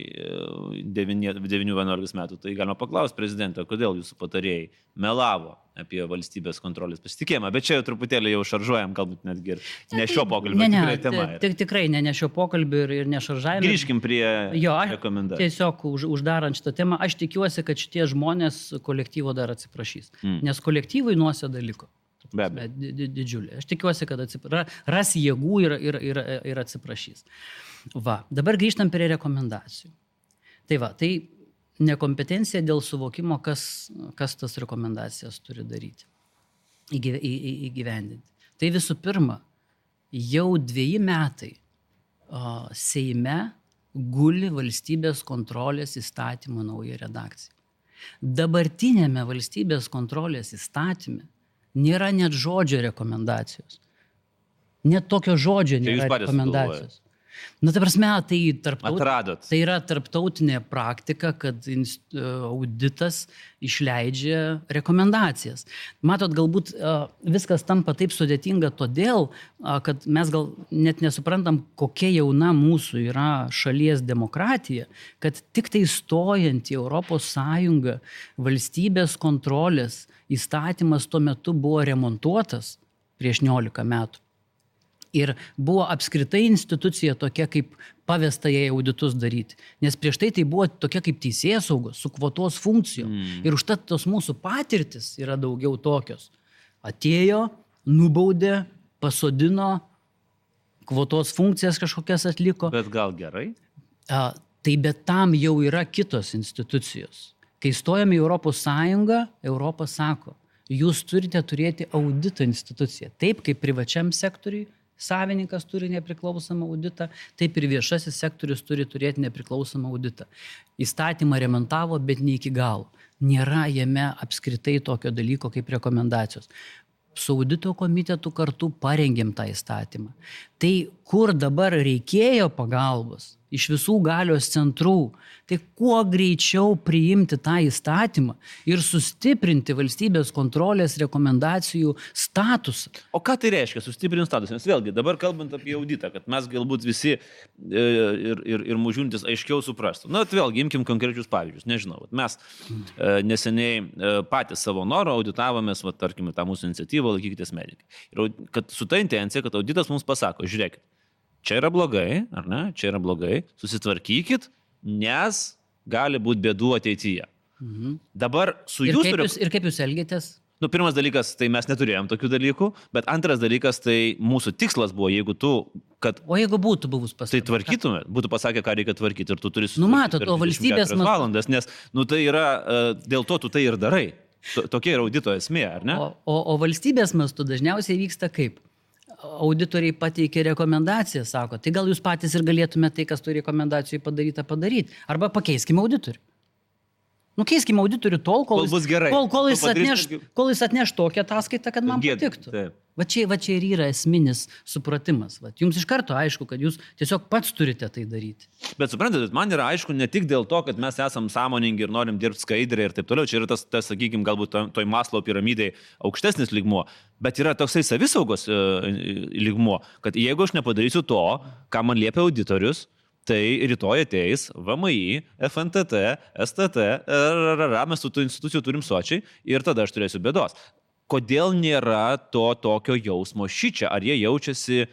devynių vienuolikos metų. Tai galima paklausti prezidentą, kodėl jūsų patarėjai melavo apie valstybės kontrolės pasitikėjimą. Bet čia jau truputėlį jau šaržuojam, galbūt netgi ir ne šio pokalbio. Ne, ne, tikrai tema. Tik, tikrai ne, ne šio pokalbio ir, ir ne šaržavimo. Grįžkim prie jo, rekomendacijų. Tiesiog už, uždarant šitą temą, aš tikiuosi, kad šitie žmonės kolektyvo dar atsiprašys. Mm. Nes kolektyvui nuosėda liko. Be abejo. Didžiulė. Aš tikiuosi, kad atsipra... ras jėgų ir, ir, ir, ir atsiprašys. Va, dabar grįžtam prie rekomendacijų. Tai va, tai nekompetencija dėl suvokimo, kas, kas tas rekomendacijas turi daryti, įgyve, į, į, įgyvendinti. Tai visų pirma, jau dveji metai o, Seime guli valstybės kontrolės įstatymo nauja redakcija. Dabartinėme valstybės kontrolės įstatyme nėra net žodžio rekomendacijos. Net tokio žodžio nėra rekomendacijos. Na, ta prasme, tai, tarptaut... Atradot. tai yra tarptautinė praktika, kad auditas išleidžia rekomendacijas. Matot, galbūt viskas tampa taip sudėtinga todėl, kad mes gal net nesuprantam, kokia jauna mūsų yra šalies demokratija, kad tik tai stojant į Europos Sąjungą valstybės kontrolės įstatymas tuo metu buvo remontuotas prieš niolika metų. Ir buvo apskritai institucija tokia, kaip pavesta jai auditus daryti. Nes prieš tai tai buvo tokia kaip teisėsaugos, su kvotos funkcijom. Mm. Ir užtat tos mūsų patirtis yra daugiau tokios. Atėjo, nubaudė, pasodino, kvotos funkcijas kažkokias atliko. Bet gal gerai? A, tai bet tam jau yra kitos institucijos. Kai stojame į Europos Sąjungą, Europa sako, jūs turite turėti audito instituciją. Taip kaip privačiam sektoriui savininkas turi nepriklausomą auditą, taip ir viešasis sektorius turi turėti nepriklausomą auditą. Įstatymą remontavo, bet ne iki galo. Nėra jame apskritai tokio dalyko kaip rekomendacijos. Su audito komitetu kartu parengėm tą įstatymą. Tai kur dabar reikėjo pagalbos iš visų galios centrų, tai kuo greičiau priimti tą įstatymą ir sustiprinti valstybės kontrolės rekomendacijų statusą. O ką tai reiškia, sustiprinti statusą? Nes vėlgi, dabar kalbant apie auditą, kad mes galbūt visi ir, ir, ir mūžiuntis aiškiau suprastų. Na, vėlgi, imkim konkrečius pavyzdžius. Nežinau, mes neseniai patys savo norą auditavomės, va, tarkime, tą mūsų iniciatyvą Laikykitės medikai. Ir kad su ta intencija, kad auditas mums pasako, žiūrėkit, čia yra blogai, ar ne? Čia yra blogai, susitvarkykit, nes gali būti bėdų ateityje. Mhm. Dabar su ir jūsų... Kaip jūs, ir kaip jūs elgėtės? Nu, pirmas dalykas, tai mes neturėjom tokių dalykų, bet antras dalykas, tai mūsų tikslas buvo, jeigu tu, kad... O jeigu būtų buvus pasakyti? Tai tvarkytume, būtų pasakę, ką reikia tvarkyti ir tu turi... Nu, matot, o valstybės... valandas, nes, nu, tai yra, dėl to tu tai ir darai. Tokia yra audito esmė, ar ne? O, o, o valstybės mastu dažniausiai vyksta kaip? Auditoriai pateikė rekomendaciją, sako, tai gal jūs patys ir galėtumėte tai, kas turi rekomendacijų padaryta, padaryti. Arba pakeiskime auditorių. Nu, keiskime auditorių tol, kol, kol bus gerai. Kol, kol, jis atneš, kol jis atneš tokią ataskaitą, kad man Gėd, patiktų. taip. Va čia, va čia ir yra esminis supratimas. Va. Jums iš karto aišku, kad jūs tiesiog pats turite tai daryti. Bet suprantate, man yra aišku ne tik dėl to, kad mes esam sąmoningi ir norim dirbti skaidriai ir taip toliau. Čia yra tas, tas sakykime, galbūt toj Maslow piramidėje aukštesnis lygmuo. Bet yra toksai savisaugos e, lygmuo, kad jeigu aš nepadarysiu to, ką man liepia auditorius, tai rytoj ateis V M I, F N T T, S T T, R R R, mes tų institucijų turim sočiai ir tada aš turėsiu bėdos. Kodėl nėra to tokio jausmo šičia? Ar jie jaučiasi,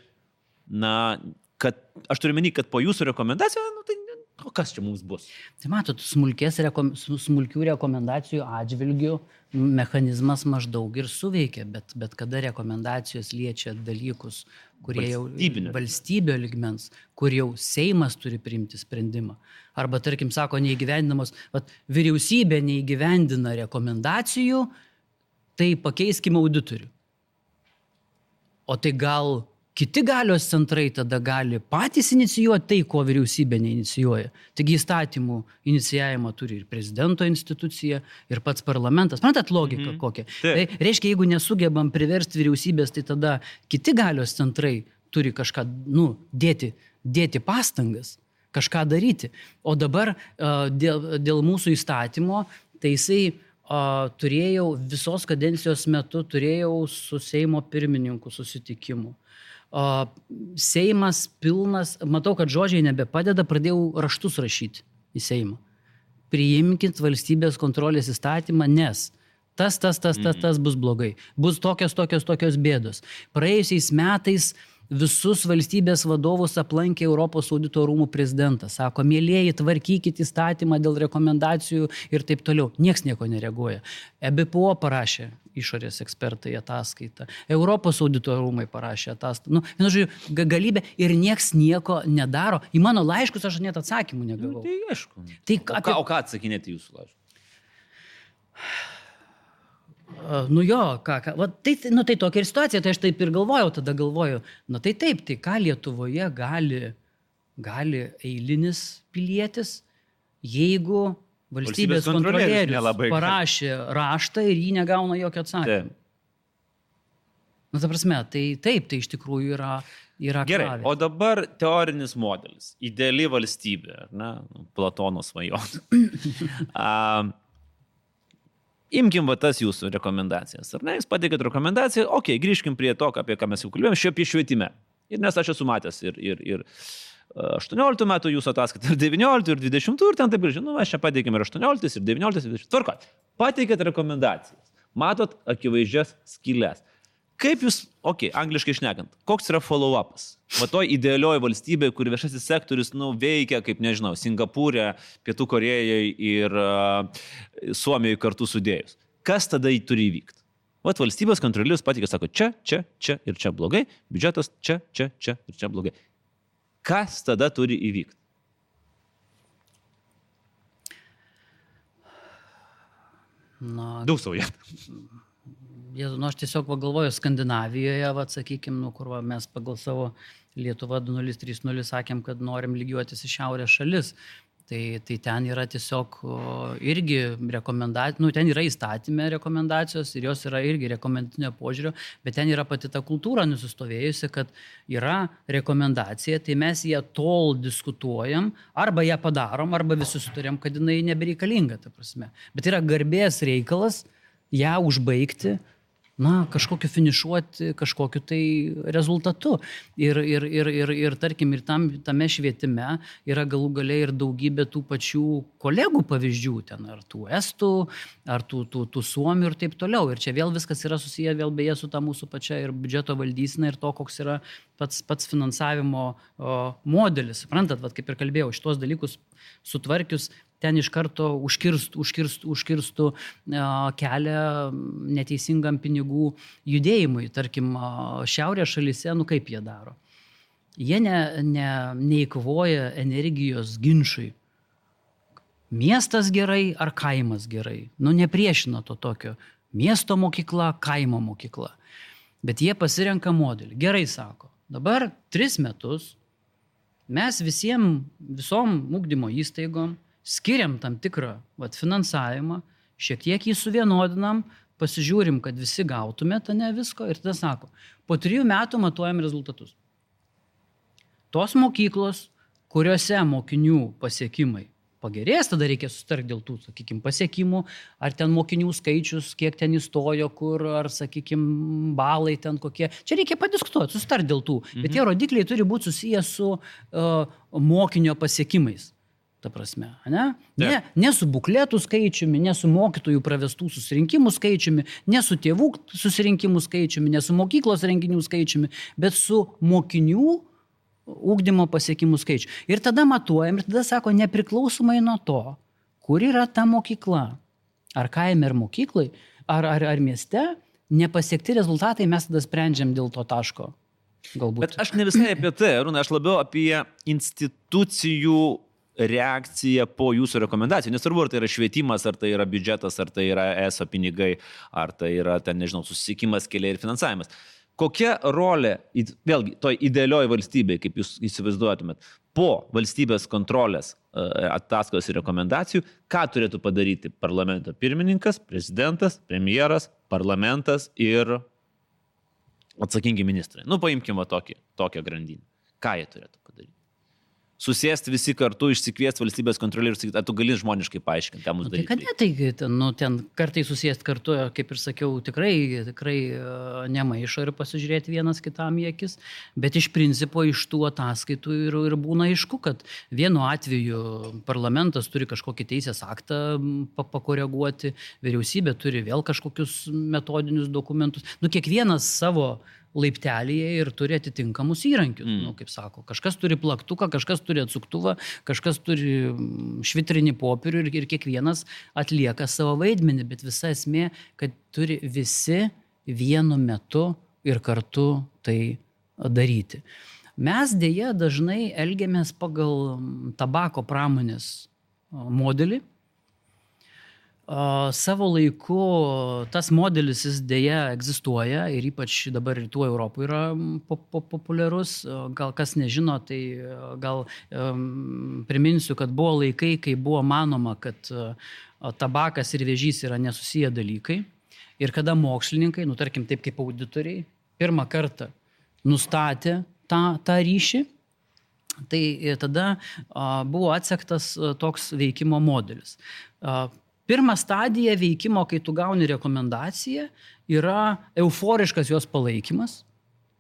na, kad, aš turiu menį, kad po jūsų rekomendacijų, nu, tai o kas čia mums bus? Tai matot, smulkės, rekom, smulkių rekomendacijų atžvilgių mechanizmas maždaug ir suveikia, bet, bet kada rekomendacijos liečia dalykus, kurie jau valstybio lygmens, kur jau Seimas turi priimti sprendimą. Arba, tarkim, sako, neįgyvendinamos, vat, vyriausybė neįgyvendina rekomendacijų, tai pakeiskime auditorių. O tai gal kiti galios centrai tada gali patys inicijuoti tai, ko vyriausybė neinicijuoja. Taigi įstatymų inicijavimą turi ir prezidento institucija, ir pats parlamentas. Matot logiką mm-hmm. kokią? Tai reiškia, jeigu nesugebam priversti vyriausybės, tai tada kiti galios centrai turi kažką, nu, dėti, dėti pastangas, kažką daryti. O dabar dėl, dėl mūsų įstatymo, tai jisai Uh, turėjau visos kadencijos metu, turėjau su Seimo pirmininku susitikimų. Uh, Seimas pilnas, matau, kad žodžiai nebepadeda, pradėjau raštus rašyti į Seimą. Priimkit valstybės kontrolės įstatymą, nes tas, tas, tas, tas, tas bus blogai. Bus tokios, tokios, tokios bėdos. Praėjusiais metais visus valstybės vadovus aplankė Europos audito rūmų prezidentas. Sako, mielieji, tvarkykit įstatymą dėl rekomendacijų ir taip toliau. Niekas nieko nereaguoja. E B P O parašė išorės ekspertai ataskaitą. Europos audito rūmai parašė ataskaitą. Nu, vienu žodžiu, galybė ir niekas nieko nedaro. Į mano laiškus aš net atsakymų negavau. Nu, tai aišku. Tai, o, ką, o ką atsakinėti jūsų laiškus? Nu jo, ką, ką, va, tai, nu, tai tokia ir situacija, tai aš taip ir galvojau, tada galvoju, na tai taip, tai ką Lietuvoje gali, gali eilinis pilietis, jeigu valstybės, valstybės kontrolierius parašė raštą ir jį negauna jokio atsakymą. Na, ta prasme, tai taip, tai iš tikrųjų yra yra Gerai, aklavietė. o dabar teorinis modelis. Ideali valstybė, ar ne? Platono svajonė. um, imkim va tas jūsų rekomendacijas. Ar ne? Jūs pateikėt rekomendaciją, okei, okay, grįžkim prie to, apie ką mes jau kalbėjome, šiaip apie švietime. Ir nes aš esu matęs ir, ir, ir aštuonioliktų metų jūsų ataskaitą, ir devynioliktų, ir dvidešimtų, ir ten taip ir žinau, aš čia pateikėm ir aštuonioliktus, ir devynioliktus, ir dvidešimtus. Tvarko, pateikėt rekomendacijas. Matot akivaizdžias skylės. Kaip jūs, okei, okay, angliškai šnekant, koks yra follow-upas? Va toj idealioji valstybė, kur viešasis sektorius nu, veikia, kaip nežinau, Singapūrė, Pietų Korėjai ir uh, Suomijoje kartu sudėjus. Kas tada jį turi įvykti? Vat valstybės kontrolierius patikė, sako, čia, čia, čia ir čia blogai, biudžetas čia, čia, čia ir čia blogai. Kas tada turi įvykti? Na, daug sauja. Jėzu, nu, aš tiesiog pagalvoju, Skandinavijoje, va, sakykime, nu, kur va, mes pagal savo Lietuva du nulis trys nulis sakėm, kad norim lygiuotis į šiaurės šalis. Tai, tai ten yra tiesiog o, irgi rekomendacijos, nu, ten yra įstatymė rekomendacijos ir jos yra irgi rekomendacinio požiūrio, bet ten yra pati ta kultūra nusistovėjusi, kad yra rekomendacija, tai mes ją tol diskutuojam, arba ją padarom, arba visi sutarėm, kad jinai nebereikalinga, ta prasme. Bet yra garbės reikalas ją užbaigti, na, kažkokiu finišuoti, kažkokiu tai rezultatu. Ir, ir, ir, ir, ir tarkim, ir tam, tame švietime yra galų gale ir daugybė tų pačių kolegų pavyzdžių, ten, ar tų estų, ar tų, tų, tų suomių ir taip toliau. Ir čia vėl viskas yra susiję vėl beje su ta mūsų pačia ir biudžeto valdysena ir to, koks yra pats, pats finansavimo o, modelis. Suprantat, vat, kaip ir kalbėjau, šitos dalykus sutvarkius, ten iš karto užkirstų, užkirstų, užkirstų kelią neteisingam pinigų judėjimui. Tarkim, šiaurės šalyse, nu kaip jie daro? Jie ne, ne, neįkovoja energijos ginčui. Miestas gerai ar kaimas gerai? Nu nepriešina to tokio. Miesto mokykla, kaimo mokykla. Bet jie pasirenka modelį. Gerai sako, dabar tris metus mes visiem, visom ugdymo įstaigom skiriam tam tikrą vat, finansavimą, šiek tiek jį suvienodinam, pasižiūrim, kad visi gautumėte, ne visko, ir tada sako, po trijų metų matuojam rezultatus. Tos mokyklos, kuriuose mokinių pasiekimai pagerės, tada reikia susitarti dėl tų, sakykime, pasiekimų, ar ten mokinių skaičius, kiek ten įstojo, kur, ar, sakykime, balai ten kokie. Čia reikia padiskutuoti, susitarti dėl tų, mhm. Bet tie rodikliai turi būti susiję su uh, mokinio pasiekimais. Ta prasme, ne? Ne, ne su bukletų skaičiumi, ne su mokytojų pravestų susirinkimų skaičiumi, ne su tėvų susirinkimų skaičiumi, ne su mokyklos renginių skaičiumi, bet su mokinių ugdymo pasiekimų skaičiu. Ir tada matuojam, ir tada sako, nepriklausomai nuo to, kur yra ta mokykla, ar kaime, ar mokyklai, ar, ar, ar mieste, nepasiekti rezultatai, mes tada sprendžiam dėl to taško. Galbūt. Bet aš ne visai apie tai, Arūnai, aš labiau apie institucijų reakcija po jūsų rekomendacijų. Nesvarbu, ar tai yra švietimas, ar tai yra biudžetas, ar tai yra E S O pinigai, ar tai yra, ten, nežinau, susisiekimas, keliai ir finansavimas. Kokia rolė, vėlgi, toj idealioji valstybė, kaip jūs įsivaizduotumėt, po valstybės kontrolės ataskaitos ir rekomendacijų, ką turėtų padaryti parlamento pirmininkas, prezidentas, premjeras, parlamentas ir atsakingi ministrai. Nu, paimkime tokį, tokią grandinę. Ką jie turėtų padaryti? Susėsti visi kartu, išsikviesti valstybės kontrolierių ir sakyti, ar tu gali žmoniškai paaiškinti, ką mums nu, daryti. Tai kad ne, tai ten, nu, ten kartai susėsti kartu, kaip ir sakiau, tikrai, tikrai nemaišo ir pasižiūrėti vienas kitam į akis, bet iš principo iš tų ataskaitų ir, ir būna aišku, kad vienu atveju parlamentas turi kažkokį teisės aktą pakoreguoti, vyriausybė turi vėl kažkokius metodinius dokumentus, nu kiekvienas savo laiptelėje ir turi atitinkamus įrankius. Mm. Nu, kaip sako, kažkas turi plaktuką, kažkas turi atsuktuvą, kažkas turi švitrinį popierių ir, ir kiekvienas atlieka savo vaidmenį, bet visa esmė, kad turi visi vienu metu ir kartu tai daryti. Mes dėja dažnai elgiamės pagal tabako pramonės modelį. Uh, savo laiku tas modelis jis dėja egzistuoja ir ypač dabar rytų Europoje yra pop- pop- populiarus. Gal kas nežino, tai gal um, priminsiu, kad buvo laikai, kai buvo manoma, kad uh, tabakas ir vėžys yra nesusiję dalykai. Ir kada mokslininkai, nu tarkim taip kaip auditoriai, pirmą kartą nustatė, tą, tą ryšį, tai tada a, buvo atsektas a, toks veikimo modelis. A, pirma stadija veikimo, kai tu gauni rekomendaciją, yra euforiškas jos palaikymas.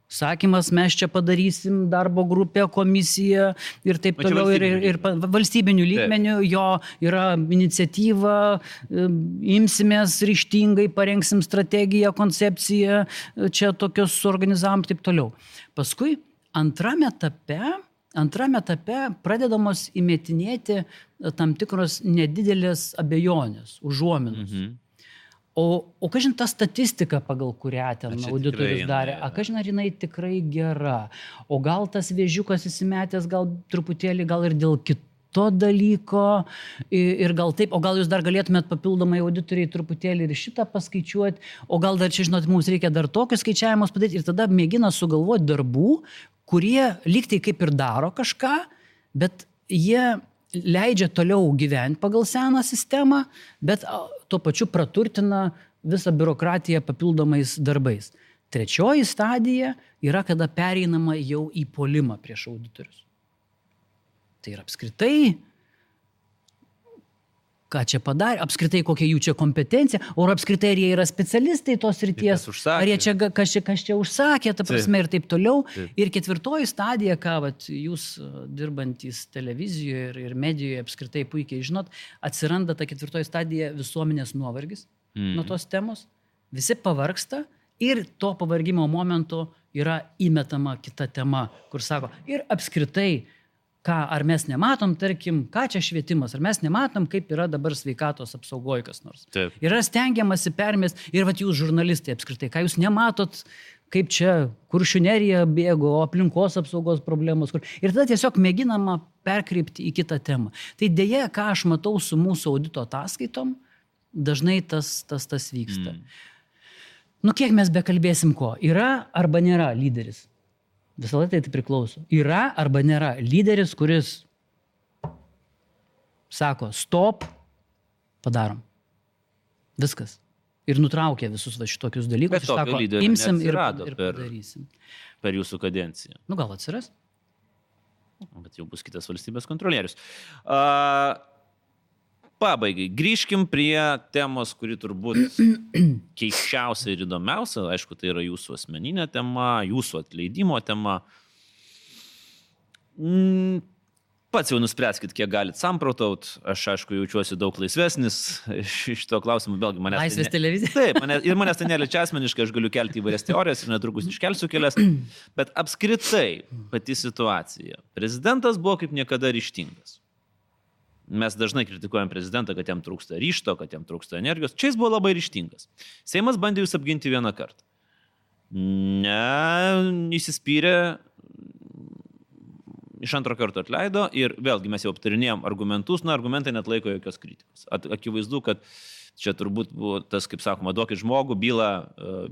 Sakymas, mes čia padarysim darbo grupę, komisiją ir taip toliau. Ir, ir, ir valstybinių lygmenių jo yra iniciatyva, imsimės ryžtingai, parengsim strategiją, koncepciją, čia tokios suorganizavom ir taip toliau. Paskui antrame etape, antrame etape pradedamos įmetinėti tam tikros nedidelės abejonės, užuominos. Mhm. O, o kažin ta statistika, pagal kurią ten auditorius darė, a kažin ar jinai tikrai gera, o gal tas vėžiukas įsimetęs, gal truputėlį, gal ir dėl kito dalyko, ir gal taip, o gal jūs dar galėtumėt papildomai auditoriai truputėlį ir šitą paskaičiuoti, o gal dar čia, žinot, mums reikia dar tokius skaičiavimus padaryti, ir tada mėgina sugalvoti darbų, kurie lygtai kaip ir daro kažką, bet jie leidžia toliau gyventi pagal seną sistemą, bet tuo pačiu praturtina visą biurokratiją papildomais darbais. Trečioji stadija yra, kada pereinama jau į puolimą prieš auditorius. Tai yra apskritai, ką čia padarė, apskritai kokia jų čia kompetencija, o apskritai ar jie yra specialistai tos srities, ar jie čia kas, čia kas čia užsakė, ta prasme ir taip toliau. Taip. Ir ketvirtoji stadija, ką vat, jūs dirbantys televizijoje ir, ir medijoje apskritai puikiai žinot, atsiranda ta ketvirtoji stadija visuomenės nuovargis mm. nuo tos temos, visi pavargsta ir to pavargimo momentu yra įmetama kita tema, kur sako, ir apskritai, ką, ar mes nematom, tarkim, ką čia švietimas, ar mes nematom, kaip yra dabar sveikatos apsaugoje kas nors. Taip. Yra stengiamasi permest, ir vat jūs žurnalistai apskritai, ką jūs nematot, kaip čia Kuršių nerija bėgo, aplinkos apsaugos problemos. Kur... Ir tada tiesiog mėginama perkreipti į kitą temą. Tai dėja, ką aš matau su mūsų audito ataskaitom, dažnai tas, tas, tas vyksta. Mm. Nu, kiek mes bekalbėsim ko? Yra arba nėra lyderis? Visą laiką tai priklauso. Yra arba nėra lyderis, kuris sako, stop, padarom. Viskas. Ir nutraukia visus va šitokius dalykus. Bet tokio lyderio imsim ir, ir per, padarysim. Per jūsų kadenciją. Nu, gal atsiras? Bet jau bus kitas valstybės kontrolierius. Uh, Pabaigai, grįžkim prie temos, kuri turbūt keisčiausia ir įdomiausia. Aišku, tai yra jūsų asmeninė tema, jūsų atleidimo tema. Pats jau nuspręskit, kiek galit samprotaut. Aš, aišku, jaučiuosi daug laisvesnis iš to klausimų. Vėlgi, manęs Laisvės tai ne... televizija. Taip, manęs, ir manęs tai neliečia asmeniškai, aš galiu kelti įvairias teorijas ir netrukus iškelsiu kelias. Bet apskritai pati situacija. Prezidentas buvo kaip niekada ryžtingas. Mes dažnai kritikuojam prezidentą, kad jam trūksta ryžto, kad jam trūksta energijos. Čia jis buvo labai ryžtingas. Seimas bandė jūs apginti vieną kartą. Ne, įsispyrė, iš antro karto atleido ir vėlgi mes jau aptarinėjom argumentus, na, argumentai net laiko jokios kritikos. At, akivaizdu, kad čia turbūt buvo tas, kaip sakoma, duokit žmogų, bylą,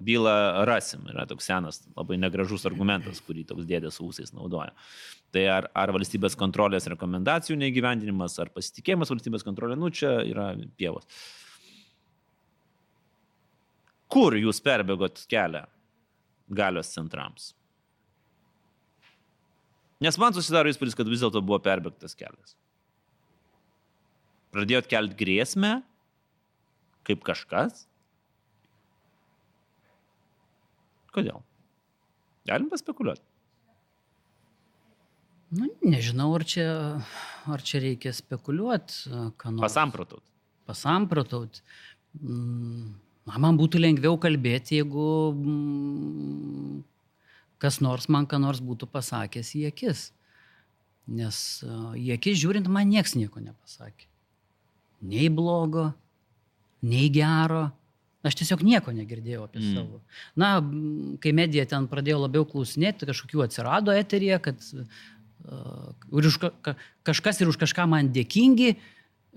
bylą rasim. Yra toks senas, labai negražus argumentas, kurį toks dėdės ūsais naudoja. Tai ar, ar valstybės kontrolės rekomendacijų neįgyvendinimas, ar pasitikėjimas valstybės kontrolė, nu čia yra pievos. Kur jūs perbėgot kelią galios centrams? Nes man susidaro įspūdis, kad vis dėlto buvo perbėgtas kelias. Pradėjot kelti grėsmę, kaip kažkas? Kodėl? Galim paspekuliuoti. Nu, nežinau, ar čia, ar čia reikia spekuliuoti. Pasamprotaut. Pasamprotaut. Na, man būtų lengviau kalbėti, jeigu mm, kas nors man ką nors būtų pasakęs į akis. Nes į akis žiūrint, man nieks nieko nepasakė. Nei blogo, nei gero. Aš tiesiog nieko negirdėjau apie mm. savo. Na, kai medija ten pradėjo labiau klausinėti, kažkokių atsirado eteryje, kad uh, už ka, kažkas ir už kažką man dėkingi,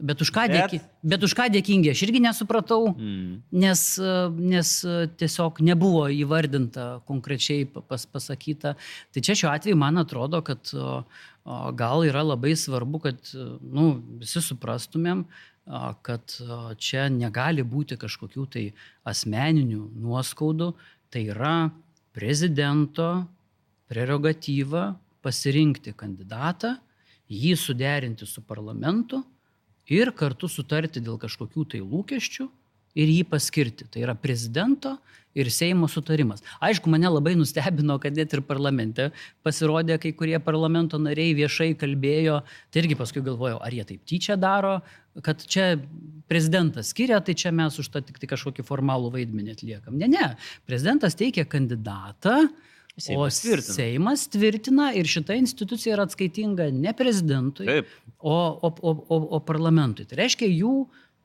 bet už ką, bet... Dėki, bet už ką dėkingi aš irgi nesupratau, mm. nes, nes tiesiog nebuvo įvardinta konkrečiai pas, pasakyta. Tai čia šiuo atveju man atrodo, kad uh, gal yra labai svarbu, kad nu, visi suprastumėm, kad čia negali būti kažkokių tai asmeninių nuoskaudų, tai yra prezidento, prerogatyva pasirinkti kandidatą, jį suderinti su parlamentu ir kartu sutarti dėl kažkokių tai lūkesčių ir jį paskirti. Tai yra prezidento ir Seimo sutarimas. Aišku, mane labai nustebino, kad net ir parlamente pasirodė kai kurie parlamento nariai viešai kalbėjo, tai irgi paskui galvojau, ar jie taip tyčia daro, kad čia prezidentas skiria, tai čia mes už tą tik tai kažkokį formalų vaidmenį atliekam. Ne, ne, prezidentas teikia kandidatą, Seimas o tvirtina. Seimas tvirtina ir šita institucija yra atskaitinga ne prezidentui, Taip. o, o, o, o, o parlamentui. Tai reiškia jų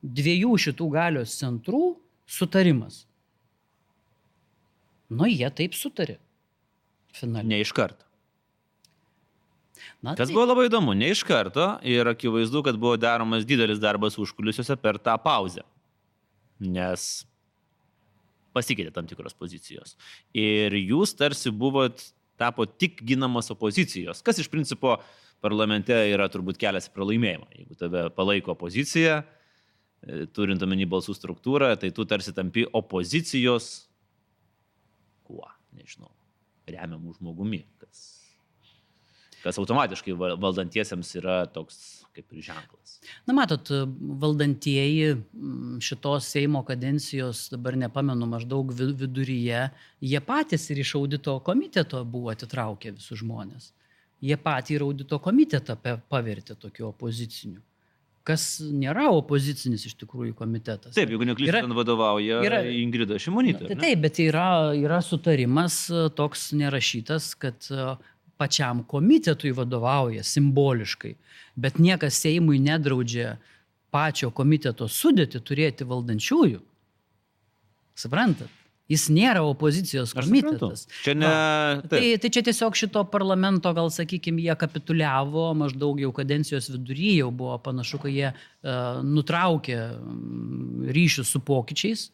dviejų šitų galios centrų sutarimas. Nu, jie taip sutarė. Finaliai. Ne iš karto. Na, Kas tai- buvo labai įdomu, ne iš karto ir akivaizdu, kad buvo daromas didelis darbas užkulisiuose per tą pauzę. Nes pasikeitė tam tikros pozicijos. Ir jūs tarsi buvot, tapo tik ginamos opozicijos, kas iš principo parlamente yra turbūt kelias į pralaimėjimą. Jeigu tave palaiko opozicija, turint omeny balsų struktūrą, tai tu tarsi tampi opozicijos, kuo, nežinau, remiamų žmogumi, kas, kas automatiškai valdantiesiems yra toks kaip ir ženklas. Na, matot, valdantieji šitos Seimo kadencijos, dabar nepamenu, maždaug viduryje, jie patys ir iš audito komiteto buvo atitraukę visus žmonės. Jie patį ir audito komitetą pavertė tokiu opoziciniu. Kas nėra opozicinis iš tikrųjų komitetas. Taip, jeigu neklystu, ten vadovauja yra, Ingrida Šimonytė. Tai taip, bet yra, yra sutarimas toks nerašytas, kad pačiam komitetui vadovauja simboliškai, bet niekas Seimui nedraudžia pačio komiteto sudėti turėti valdančiųjų. Suprantat? Jis nėra opozicijos komitetas. Čia ne... Tai, tai čia tiesiog šito parlamento, gal sakykime, jie kapituliavo, maždaug jau kadencijos vidury jau buvo panašu, kad jie uh, nutraukė ryšius su pokyčiais,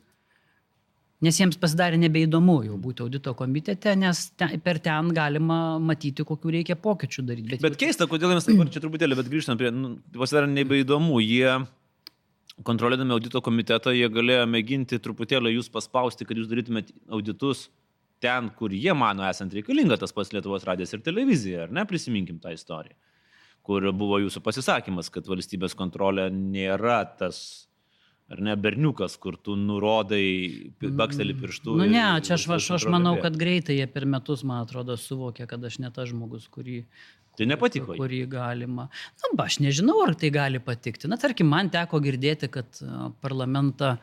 nes jiems pasidarė nebeįdomu jau būti audito komitete, nes ten, per ten galima matyti, kokių reikia pokyčių daryti. Bet, bet keista, kodėl mes dabar čia truputėlį, bet grįžtam prie, nu, pasidarė nebeįdomu, jie kontroliuodami audito komitetą, jie galėjo mėginti truputėlį jūs paspausti, kad jūs darytumėt auditus ten, kur jie mano esant reikalinga, tas pats Lietuvos radijas ir televizija, ar ne, prisiminkim tą istoriją, kur buvo jūsų pasisakymas, kad valstybės kontrolė nėra tas, ar ne, berniukas, kur tu nurodai, baksteli pirštų. Nu ne, čia aš, aš, aš manau, kad greitai jie per metus, man atrodo, suvokė, kad aš ne tas žmogus, kurį... Tai nepatiko. Kurį galima. Na, ba, aš nežinau, ar tai gali patikti. Na, tarkim, man teko girdėti, kad parlamentą,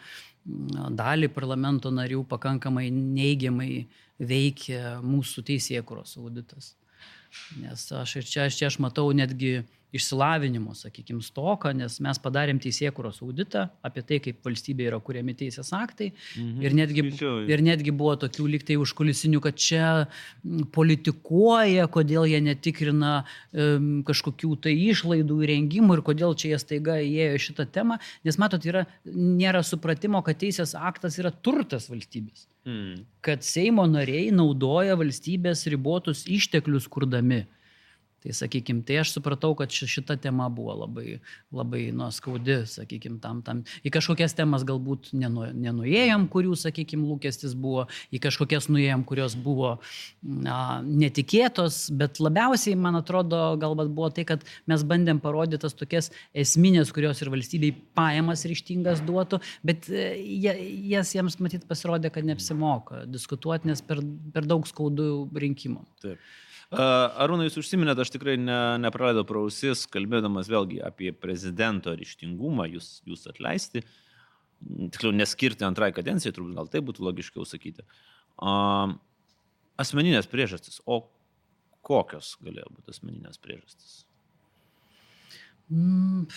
dalį parlamento narių pakankamai neigiamai veikia mūsų teisėkūros auditas. Nes aš ir čia, čia aš matau netgi išsilavinimo, sakykime, stoką, nes mes padarėm teisėkūros auditą apie tai, kaip valstybė yra kuriami teisės aktai. Mhm. Ir, netgi, ir netgi buvo tokių lygtai užkulisinių, kad čia politikuoja, kodėl jie netikrina um, kažkokių tai išlaidų įrengimų ir kodėl čia jie staiga įėjo šitą temą. Nes matot, yra, nėra supratimo, kad teisės aktas yra turtas valstybės. Mhm. Kad Seimo nariai naudoja valstybės ribotus išteklius kurdami. Tai, sakykime, tai aš supratau, kad šita tema buvo labai, labai nu, skaudi, sakykime, tam, tam. Į kažkokias temas galbūt nenu, nenuėjom, kurių, sakykime, lūkestis buvo, į kažkokias nuėjom, kurios buvo na, netikėtos, bet labiausiai, man atrodo, galbūt buvo tai, kad mes bandėm parodyti tas tokias esminės, kurios ir valstybei pajamas ryžtingas duotų, bet jas jiems matyt pasirodė, kad neapsimoka diskutuoti, nes per, per daug skaudų rinkimų. Taip. Arūnai, jūs užsiminėte, aš tikrai ne, nepraleidau pro ausis, kalbėdamas vėlgi apie prezidento ryžtingumą, jūs, jūs atleisti, tiksliau neskirti antrai kadencijai, turbūt gal tai būtų logiškiau sakyti. Uh, asmeninės priežastis, o kokios galėjo būti asmeninės priežastis? Mm,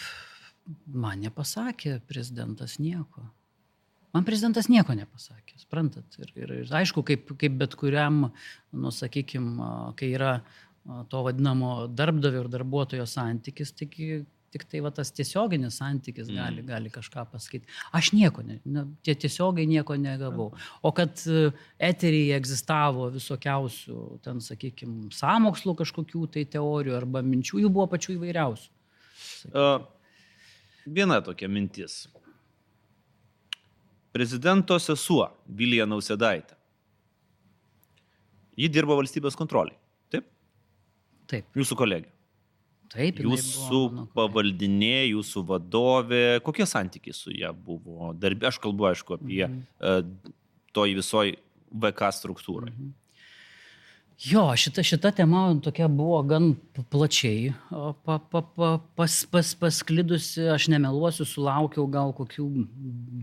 man nepasakė prezidentas nieko. Man prezidentas nieko nepasakė, suprantat. Ir, ir, ir aišku, kaip, kaip bet kuriam, nu, sakykime, kai yra to vadinamo darbdavio ir darbuotojo santykis, tik, tik tai va, tas tiesioginis santykis gali, mm. gali kažką pasakyti. Aš nieko, ne, ne, tie tiesiogiai nieko negavau. O kad eteryje egzistavo visokiausių, ten, sakykime, sąmokslų kažkokių tai teorijų arba minčių, jų buvo pačių įvairiausių. Uh, viena tokia mintis. Prezidento sesuo Vilija Nausėdaitė. Ji dirbo valstybės kontroliai. taip. Jūsų kolegė. Taip, jinai Jūsų buvo mano kolegė. pavaldinė, jūsų vadovė, kokie santykiai su ją buvo? Darbė, aš kalbu, aišku, apie Mhm. uh, toj visoj V K struktūrai. Mhm. Jo, šita, šita tema tokia buvo gan plačiai pa, pa, pa, pas, pas, pasklidusi, aš nemeluosiu, sulaukiau gal kokių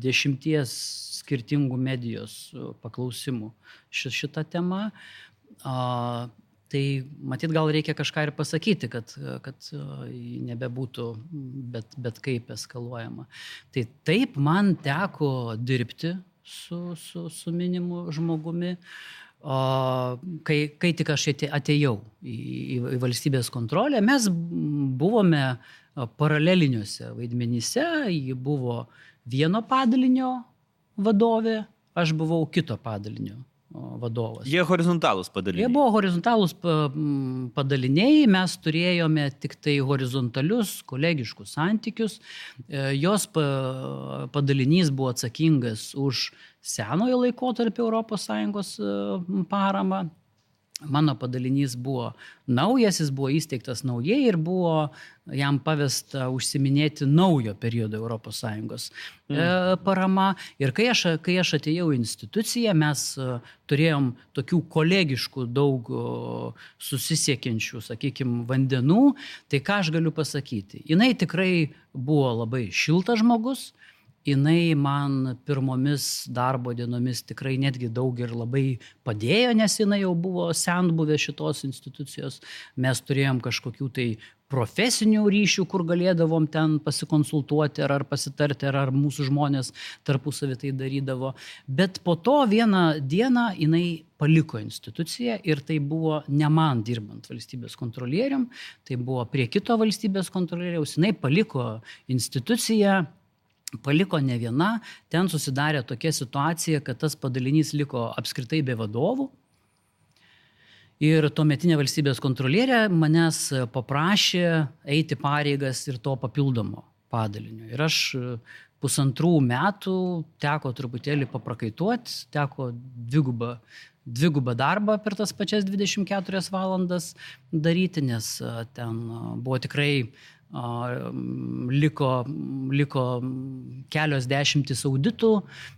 dešimties skirtingų medijos paklausimų ši, šitą temą. A, tai matyt, gal reikia kažką ir pasakyti, kad, kad nebebūtų bet, bet kaip eskaluojama. Tai taip, man teko dirbti su, su, su minimu žmogumi. O, kai, kai tik aš atėjau į, į, į valstybės kontrolę, mes buvome paraleliniuose vaidmenyse, ji buvo vieno padalinio vadovė, aš buvau kito padalinio vadovas. Jie horizontalūs padaliniai. Jie buvo horizontalūs padaliniai, mes turėjome tik tai horizontalius kolegiškus santykius. Jos padalinys buvo atsakingas už senojo laikotarpio Europos Sąjungos paramą. Mano padalinys buvo naujas, jis buvo įsteigtas naujai ir buvo jam pavesta užsiminėti naujo periodo Europos Sąjungos mm. parama. Ir kai aš, kai aš atėjau į instituciją, mes turėjom tokių kolegiškų daug susisiekiančių, sakykime, vandenų. Tai ką aš galiu pasakyti? Jinai tikrai buvo labai šiltas žmogus. Jinai man pirmomis darbo dienomis tikrai netgi daug ir labai padėjo, nes jinai jau buvo senbuvė šitos institucijos. Mes turėjom kažkokių tai profesinių ryšių, kur galėdavom ten pasikonsultuoti ar, ar pasitarti, ar, ar mūsų žmonės tarpusavį tai darydavo. Bet po to vieną dieną jinai paliko instituciją ir tai buvo ne man dirbant valstybės kontrolierium, tai buvo prie kito valstybės kontrolieriaus. Jinai paliko instituciją. Paliko ne viena, ten susidarė tokia situacija, kad tas padalinys liko apskritai be vadovų. Ir tuometinė valstybės kontrolierė manęs paprašė eiti pareigas ir to papildomo padalinio. Ir aš pusantrų metų teko truputėlį paprakaituoti, teko dvigubą, dvigubą darbą per tas pačias dvidešimt keturias valandas daryti, nes ten buvo tikrai Liko, liko kelios dešimtis auditų,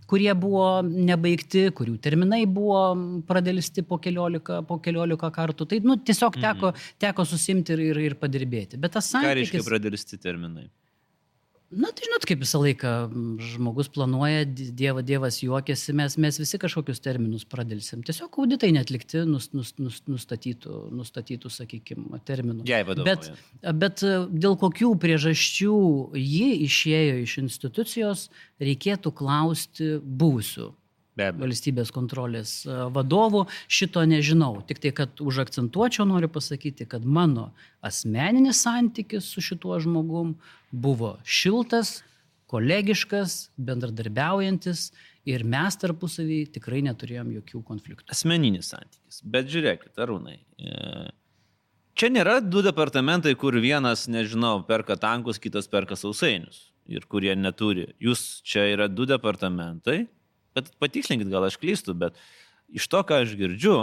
kurie buvo nebaigti, kurių terminai buvo pradėlisti po keliolika, po keliolika kartų. Tai nu, tiesiog teko, teko susimti ir, ir, ir padirbėti. Bet tas santykis... Ką reiškia pradėlisti terminai? Na, tai žinot, kaip visą laiką žmogus planuoja, dieva, dievas juokiasi, mes, mes visi kažkokius terminus pradėlsim. Tiesiog auditai netlikti nus, nus, nus, nustatytų, nustatytų, sakykime, terminų. Jai vadovauja. Bet, bet dėl kokių priežasčių ji išėjo iš institucijos, reikėtų klausti buvusių valstybės kontrolės vadovų. Šito nežinau. Tik tai, kad užakcentuočiau, noriu pasakyti, kad mano asmeninis santykis su šituo žmogum buvo šiltas, kolegiškas, bendradarbiaujantis ir mes tarpusavį tikrai neturėjom jokių konfliktų. Asmeninis santykis. Bet žiūrėkit, Arūnai, čia nėra du departamentai, kur vienas, nežinau, perka tankus, kitas perka sausainius ir kurie neturi. Jūs čia yra du departamentai. Bet patikslinkit, gal aš klystu, bet iš to, ką aš girdžiu,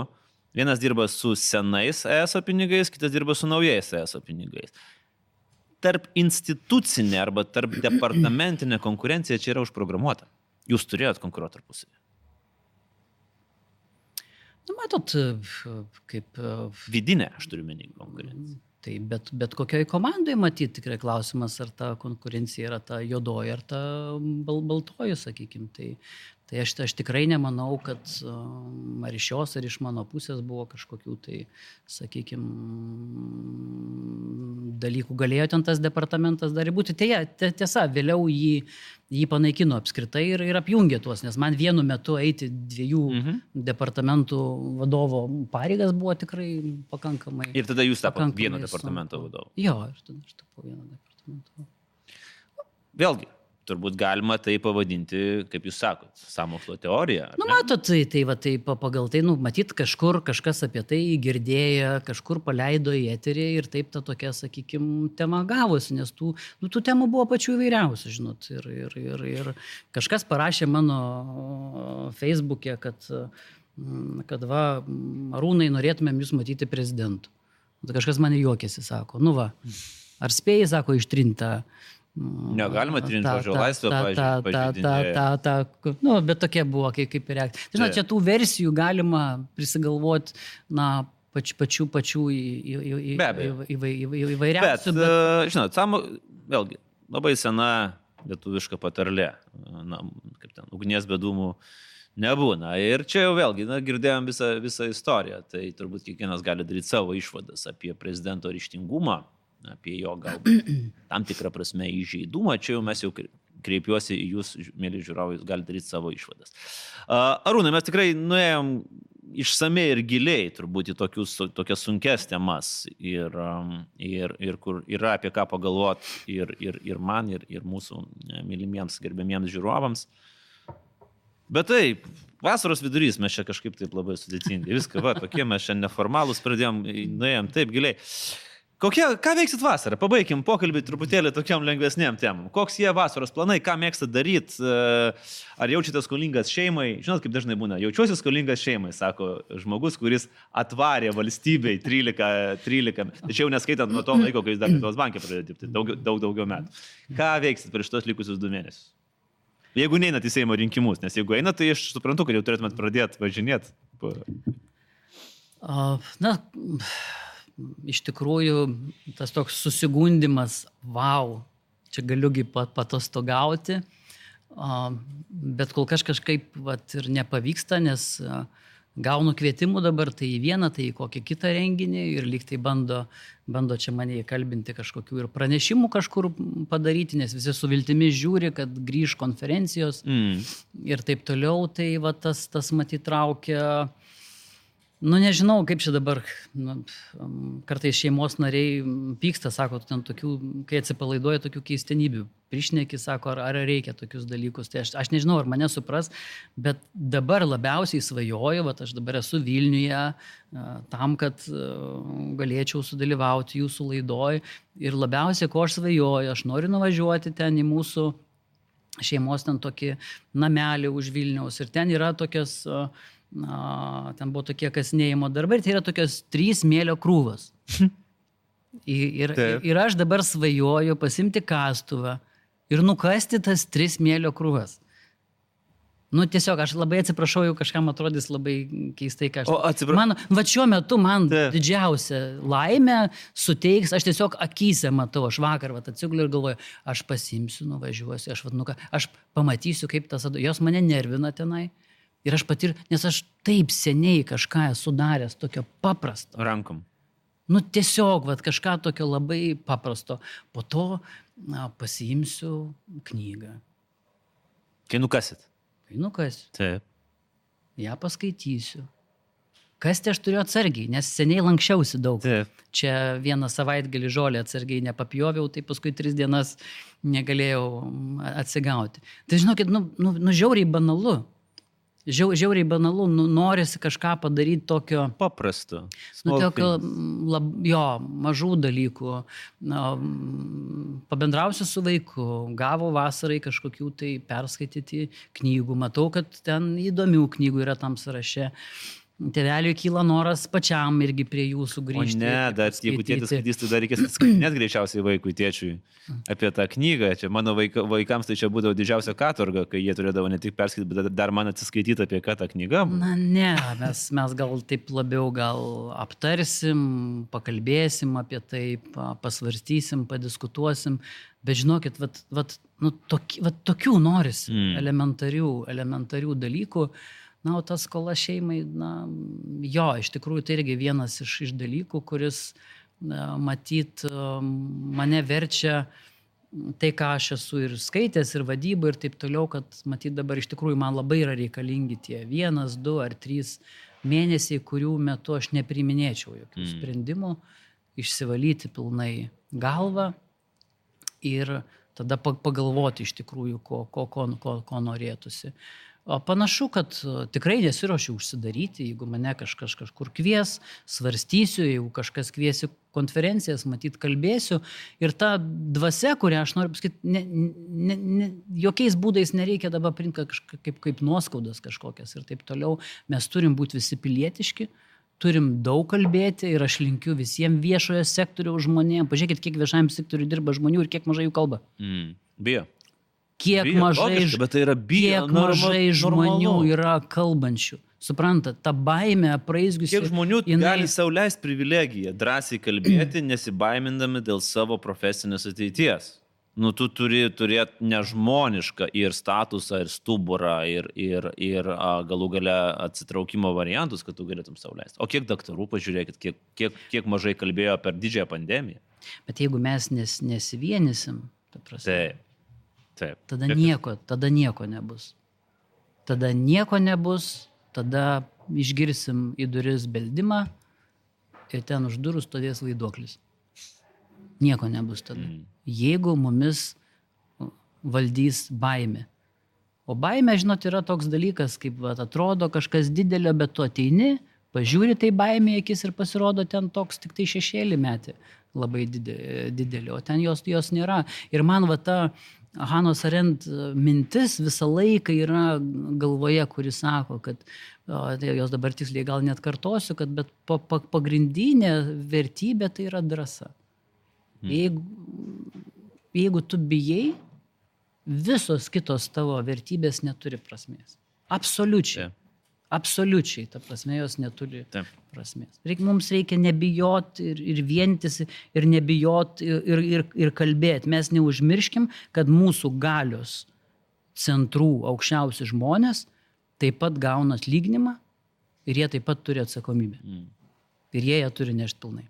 vienas dirba su senais E S O pinigais, kitas dirba su naujais E S O pinigais. Tarp institucinė arba tarp departamentinė konkurencija čia yra užprogramuota. Jūs turėjot konkuruoti tarpusavį. Nu, matot, kaip... Vidinė, aš turiu menį konkurenciją. Tai bet, bet kokioj komandai matyti tikrai klausimas, ar ta konkurencija yra ta juodoji, ar ta bal, baltoji, sakykime. Tai, tai aš, aš tikrai nemanau, kad ar iš jos, ar iš mano pusės buvo kažkokių tai, sakykime, dalykų. Galėjo ten tas departamentas dar būti. Tai tiesa, vėliau jį, jį panaikino apskritai ir, ir apjungė tuos, nes man vienu metu eiti dviejų mhm. departamentų vadovo pareigas buvo tikrai pakankamai. Ir tada jūs tapo vieno departamento vadovu. Jo, ir tada aš tapau vieno departamento vadovu. Vėlgi, turbūt galima tai pavadinti, kaip jūs sakot, sąmokslo teorija. Nu, matot, tai, tai, va, tai pagal tai, nu, matyt, kažkur kažkas apie tai girdėjo, kažkur paleido į eterį ir taip ta tokia, sakykime, tema gavosi, nes tų, nu, tų temų buvo pačių įvairiausių, žinot. Ir, ir, ir, ir kažkas parašė mano Facebook'e, kad, kad va, Arūnai, norėtumėm jūs matyti prezidentu. Tai kažkas mane juokėsi, sako, nu va, ar spėjai, sako, ištrinta. Negalima trinti žodžio laisvę, pažiūrėjau. Nu, bet tokia buvo kaip, kaip ir reakcija. Žinot, čia tų versijų galima prisigalvoti, na, pač, pačių, pačių įvairiausių. Bet, bet... žinot, samo, vėlgi, labai sena lietuviška patarlė, na, kaip ten, ugnies be dūmų nebūna. Ir čia jau vėlgi, na, girdėjom visą, visą istoriją, tai turbūt kiekvienas gali daryti savo išvadas apie prezidento ryžtingumą, apie jo galbūt tam tikrą prasme įžeidumą. Čia jau mes jau kreipiuosi į jūs, mėly žiūrovai, jūs galite daryti savo išvadas. Arūnai, mes tikrai nuėjom išsamei ir giliai turbūt į tokius, tokias sunkes temas ir, ir, ir kur yra apie ką pagalvoti ir, ir, ir man, ir, ir mūsų mylimiems, gerbėmiems žiūrovams. Bet taip, vasaros vidurys, mes čia kažkaip taip labai sudėtingi. Viską, va, tokie mes čia neformalūs pradėjom, nuėjom taip giliai. Kokie, ką veiksit vasarą? Pabaikim pokalbį truputėlį tokiam lengvesniam temam. Koks jie vasaros planai, ką mėgstat daryti? Ar jaučiate skolingas šeimai? Žinot, kaip dažnai būna, jaučiuosi skolingas šeimai, sako žmogus, kuris atvarė valstybei trylika, trylika, tačiau neskaitant nuo to laiko, kai jis dar Lietuvos banke pradėjo dirbti, daug, daug daugiau metų. Ką veiksit per šitos likusius du mėnesius? Jeigu neinat į Seimo rinkimus, nes jeigu einat, tai aš suprantu, kad jau turėtumėt pradėti važinėti. Na, iš tikrųjų, tas toks susigundimas, wow, čia galiugi patostogauti, bet kol kažkaip vat, ir nepavyksta, nes gaunu kvietimų dabar tai į vieną, tai į kokį kitą renginį ir lyg tai bando, bando čia mane įkalbinti kažkokių ir pranešimų kažkur padaryti, nes visi su viltimi žiūri, kad grįž konferencijos mm. ir taip toliau, tai va, tas, tas matyt traukia. Nu, nežinau, kaip čia dabar, nu, kartais šeimos nariai pyksta, sako, ten tokių, kai atsipalaiduoja tokių keistenybių, prišneki, sako, ar, ar reikia tokius dalykus. Tai aš, aš nežinau, ar mane supras, bet dabar labiausiai svajoju, vat aš dabar esu Vilniuje, tam, kad galėčiau sudalyvauti jūsų laidoj. Ir labiausiai, ko aš svajoju, aš noriu nuvažiuoti ten į mūsų šeimos ten tokį namelį už Vilniaus. Ir ten yra tokios... Na, ten buvo tokie kasinėjimo darbai ir tai yra tokios trys smėlio krūvos. Ir, ir, ir aš dabar svajoju pasimti kastuvą ir nukasti tas tris smėlio krūvas. Nu, tiesiog, aš labai atsiprašau, jau kažkam atrodys labai keistai, ką aš... O, atsiprašau. Man, va šiuo metu man Taip. Didžiausia laimė suteiks, aš tiesiog akyse matau, aš vakar va, atsiguliu ir galvoju, aš pasimsiu, nuvažiuosiu, aš, va, nu, aš pamatysiu, kaip tas... Jos mane nervina tenai. Ir aš patir, nes aš taip seniai kažką esu daręs tokio paprasto. Rankom. Nu tiesiog, vat, kažką tokio labai paprasto. Po to na, pasiimsiu knygą. Kai nukasit? Kai nukasiu. Taip. Ja paskaitysiu. Kasti aš turiu atsargiai, nes seniai lankščiausi daug. Taip. Čia vieną savaitgalį žolę atsargiai nepapjoviau, tai paskui tris dienas negalėjau atsigauti. Tai žinokit, nu, nu, nu žiauriai banalu. Žiau, žiauriai banalu, nu, norisi kažką padaryti tokio... Paprasto. Nu, tokio, lab, jo, mažų dalykų. Na, pabendrausiu su vaiku, gavo vasarai kažkokių tai perskaityti knygų. Matau, kad ten įdomių knygų yra tam sąraše. Tėveliui kyla noras pačiam irgi prie jų sugrįžti. O ne, dar jeigu tėtis skaitys, tai dar reikės atskaitinėti greičiausiai vaikui, tėčiui apie tą knygą. Čia mano vaika, vaikams tai čia būdavo didžiausia katorga, kai jie turėdavo ne tik perskaityti, bet dar man atsiskaityti apie ką tą knygą. Na ne, mes, mes gal taip labiau gal aptarsim, pakalbėsim apie tai, pasvarstysim, padiskutuosim. Bet žinokit, vat, vat, nu, toki, vat, tokių norisi mm. elementarių, elementarių dalykų. Na, o tas skola šeimai, na, jo, iš tikrųjų tai irgi vienas iš, iš dalykų, kuris, na, matyt, mane verčia tai, ką aš esu ir skaitęs, ir vadybą, ir taip toliau, kad, matyt, dabar iš tikrųjų man labai yra reikalingi tie vienas, du ar trys mėnesiai, kurių metu aš nepriminėčiau jokių mm. sprendimų, išsivalyti pilnai galvą ir tada pagalvoti iš tikrųjų, ko, ko, ko, ko, ko norėtųsi. O panašu, kad tikrai nesiruošiu užsidaryti, jeigu mane kažkas kažkur kvies, svarstysiu, jeigu kažkas kviesi konferencijas, matyt, kalbėsiu. Ir ta dvasia, kurią aš noriu pasakyti, ne, ne, ne, jokiais būdais nereikia dabar priimti kaip, kaip nuoskaudas kažkokias ir taip toliau. Mes turim būti visi pilietiški, turim daug kalbėti ir aš linkiu visiems viešojo sektoriaus žmonėms. Pažiūrėkit, kiek viešajam sektoriui dirba žmonių ir kiek mažai jų kalba. Mm. Bijo. Kiek Bijo, mažai, logiška, bet tai yra bijo, kiek norma, mažai žmonių normalu. yra kalbančių. Suprantat, ta baimė apraizgiusi. Kiek žmonių jinai... gali sau leisti privilegiją, drąsiai kalbėti, nesibaimindami dėl savo profesinės ateities. Nu, tu turi turėti nežmonišką ir statusą, ir stuburą, ir, ir, ir a, galų gale atsitraukimo variantus, kad tu galėtum sau leisti. O kiek daktarų, pažiūrėkit, kiek, kiek, kiek mažai kalbėjo per didžiąją pandemiją. Bet jeigu mes nes, nesivienysim, ta prasme, Taip. Taip. tada nieko, tada nieko nebus. Tada nieko nebus, tada išgirsim į duris beldimą ir ten už durų stovės vaiduoklis. Nieko nebus tada. Mm. Jeigu mumis valdys baimė. O baimė, žinot, yra toks dalykas, kaip va, atrodo kažkas didelio, bet tu ateini, pažiūri tai baimė akis ir pasirodo ten toks tik tai šešėlį metė labai didelį, o ten jos, jos nėra. Ir man va ta Hanos Arendt mintis visą laiką yra galvoje, kuris sako, kad o, tai jos dabar tiksliai gal net kartosiu, kad bet pa, pa, pagrindinė vertybė tai yra drąsa. Hmm. Jeigu, jeigu tu bijai, visos kitos tavo vertybės neturi prasmės. Absoliučiai. Taip. Absoliučiai, ta prasme, jos neturi Taip. Prasmės. Reik, mums reikia nebijoti ir, ir vientis, ir nebijoti, ir, ir, ir kalbėti. Mes neužmirškim, kad mūsų galios centrų aukščiausi žmonės taip pat gauna atlyginimą ir jie taip pat turi atsakomybę. Mm. Ir jie ją turi nešti pilnai.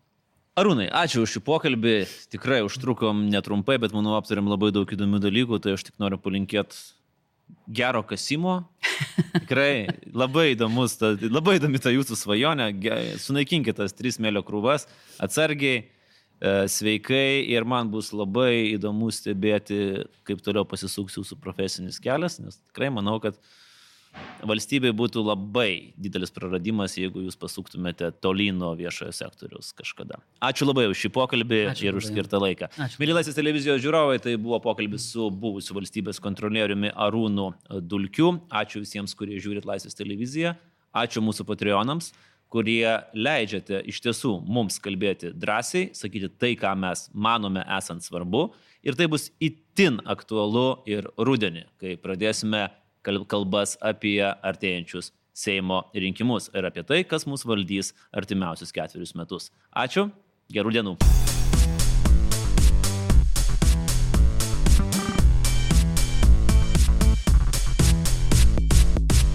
Arūnai, ačiū už šį pokalbį. Tikrai užtrukom netrumpai, bet manau aptarėm labai daug įdomių dalykų, tai aš tik noriu palinkėti gero kasimo. Tikrai labai įdomus, ta, labai įdomi ta jūsų svajonė. Sunaikinkite tas tris smėlio krūvas atsargiai, sveikai ir man bus labai įdomu stebėti, kaip toliau pasisuks jūsų profesinis kelias, nes tikrai manau, kad valstybei būtų labai didelis praradimas, jeigu jūs pasuktumėte tolyn nuo viešojo sektoriaus kažkada. Ačiū labai už šį pokalbį Ačiū ir už skirtą laiką. Mėly Laisvės televizijos žiūrovai, tai buvo pokalbis su buvusiu valstybės kontrolieriumi Arūnu Dulkiu. Ačiū visiems, kurie žiūrit Laisvės televiziją. Ačiū mūsų patreonams, kurie leidžiate iš tiesų mums kalbėti drąsiai, sakyti tai, ką mes manome esant svarbu. Ir tai bus itin aktualu ir rudenį, kai pradėsime kalbas apie artėjančius Seimo rinkimus ir apie tai, kas mus valdys artimiausius ketverius metus. Ačiū, gerų dienų.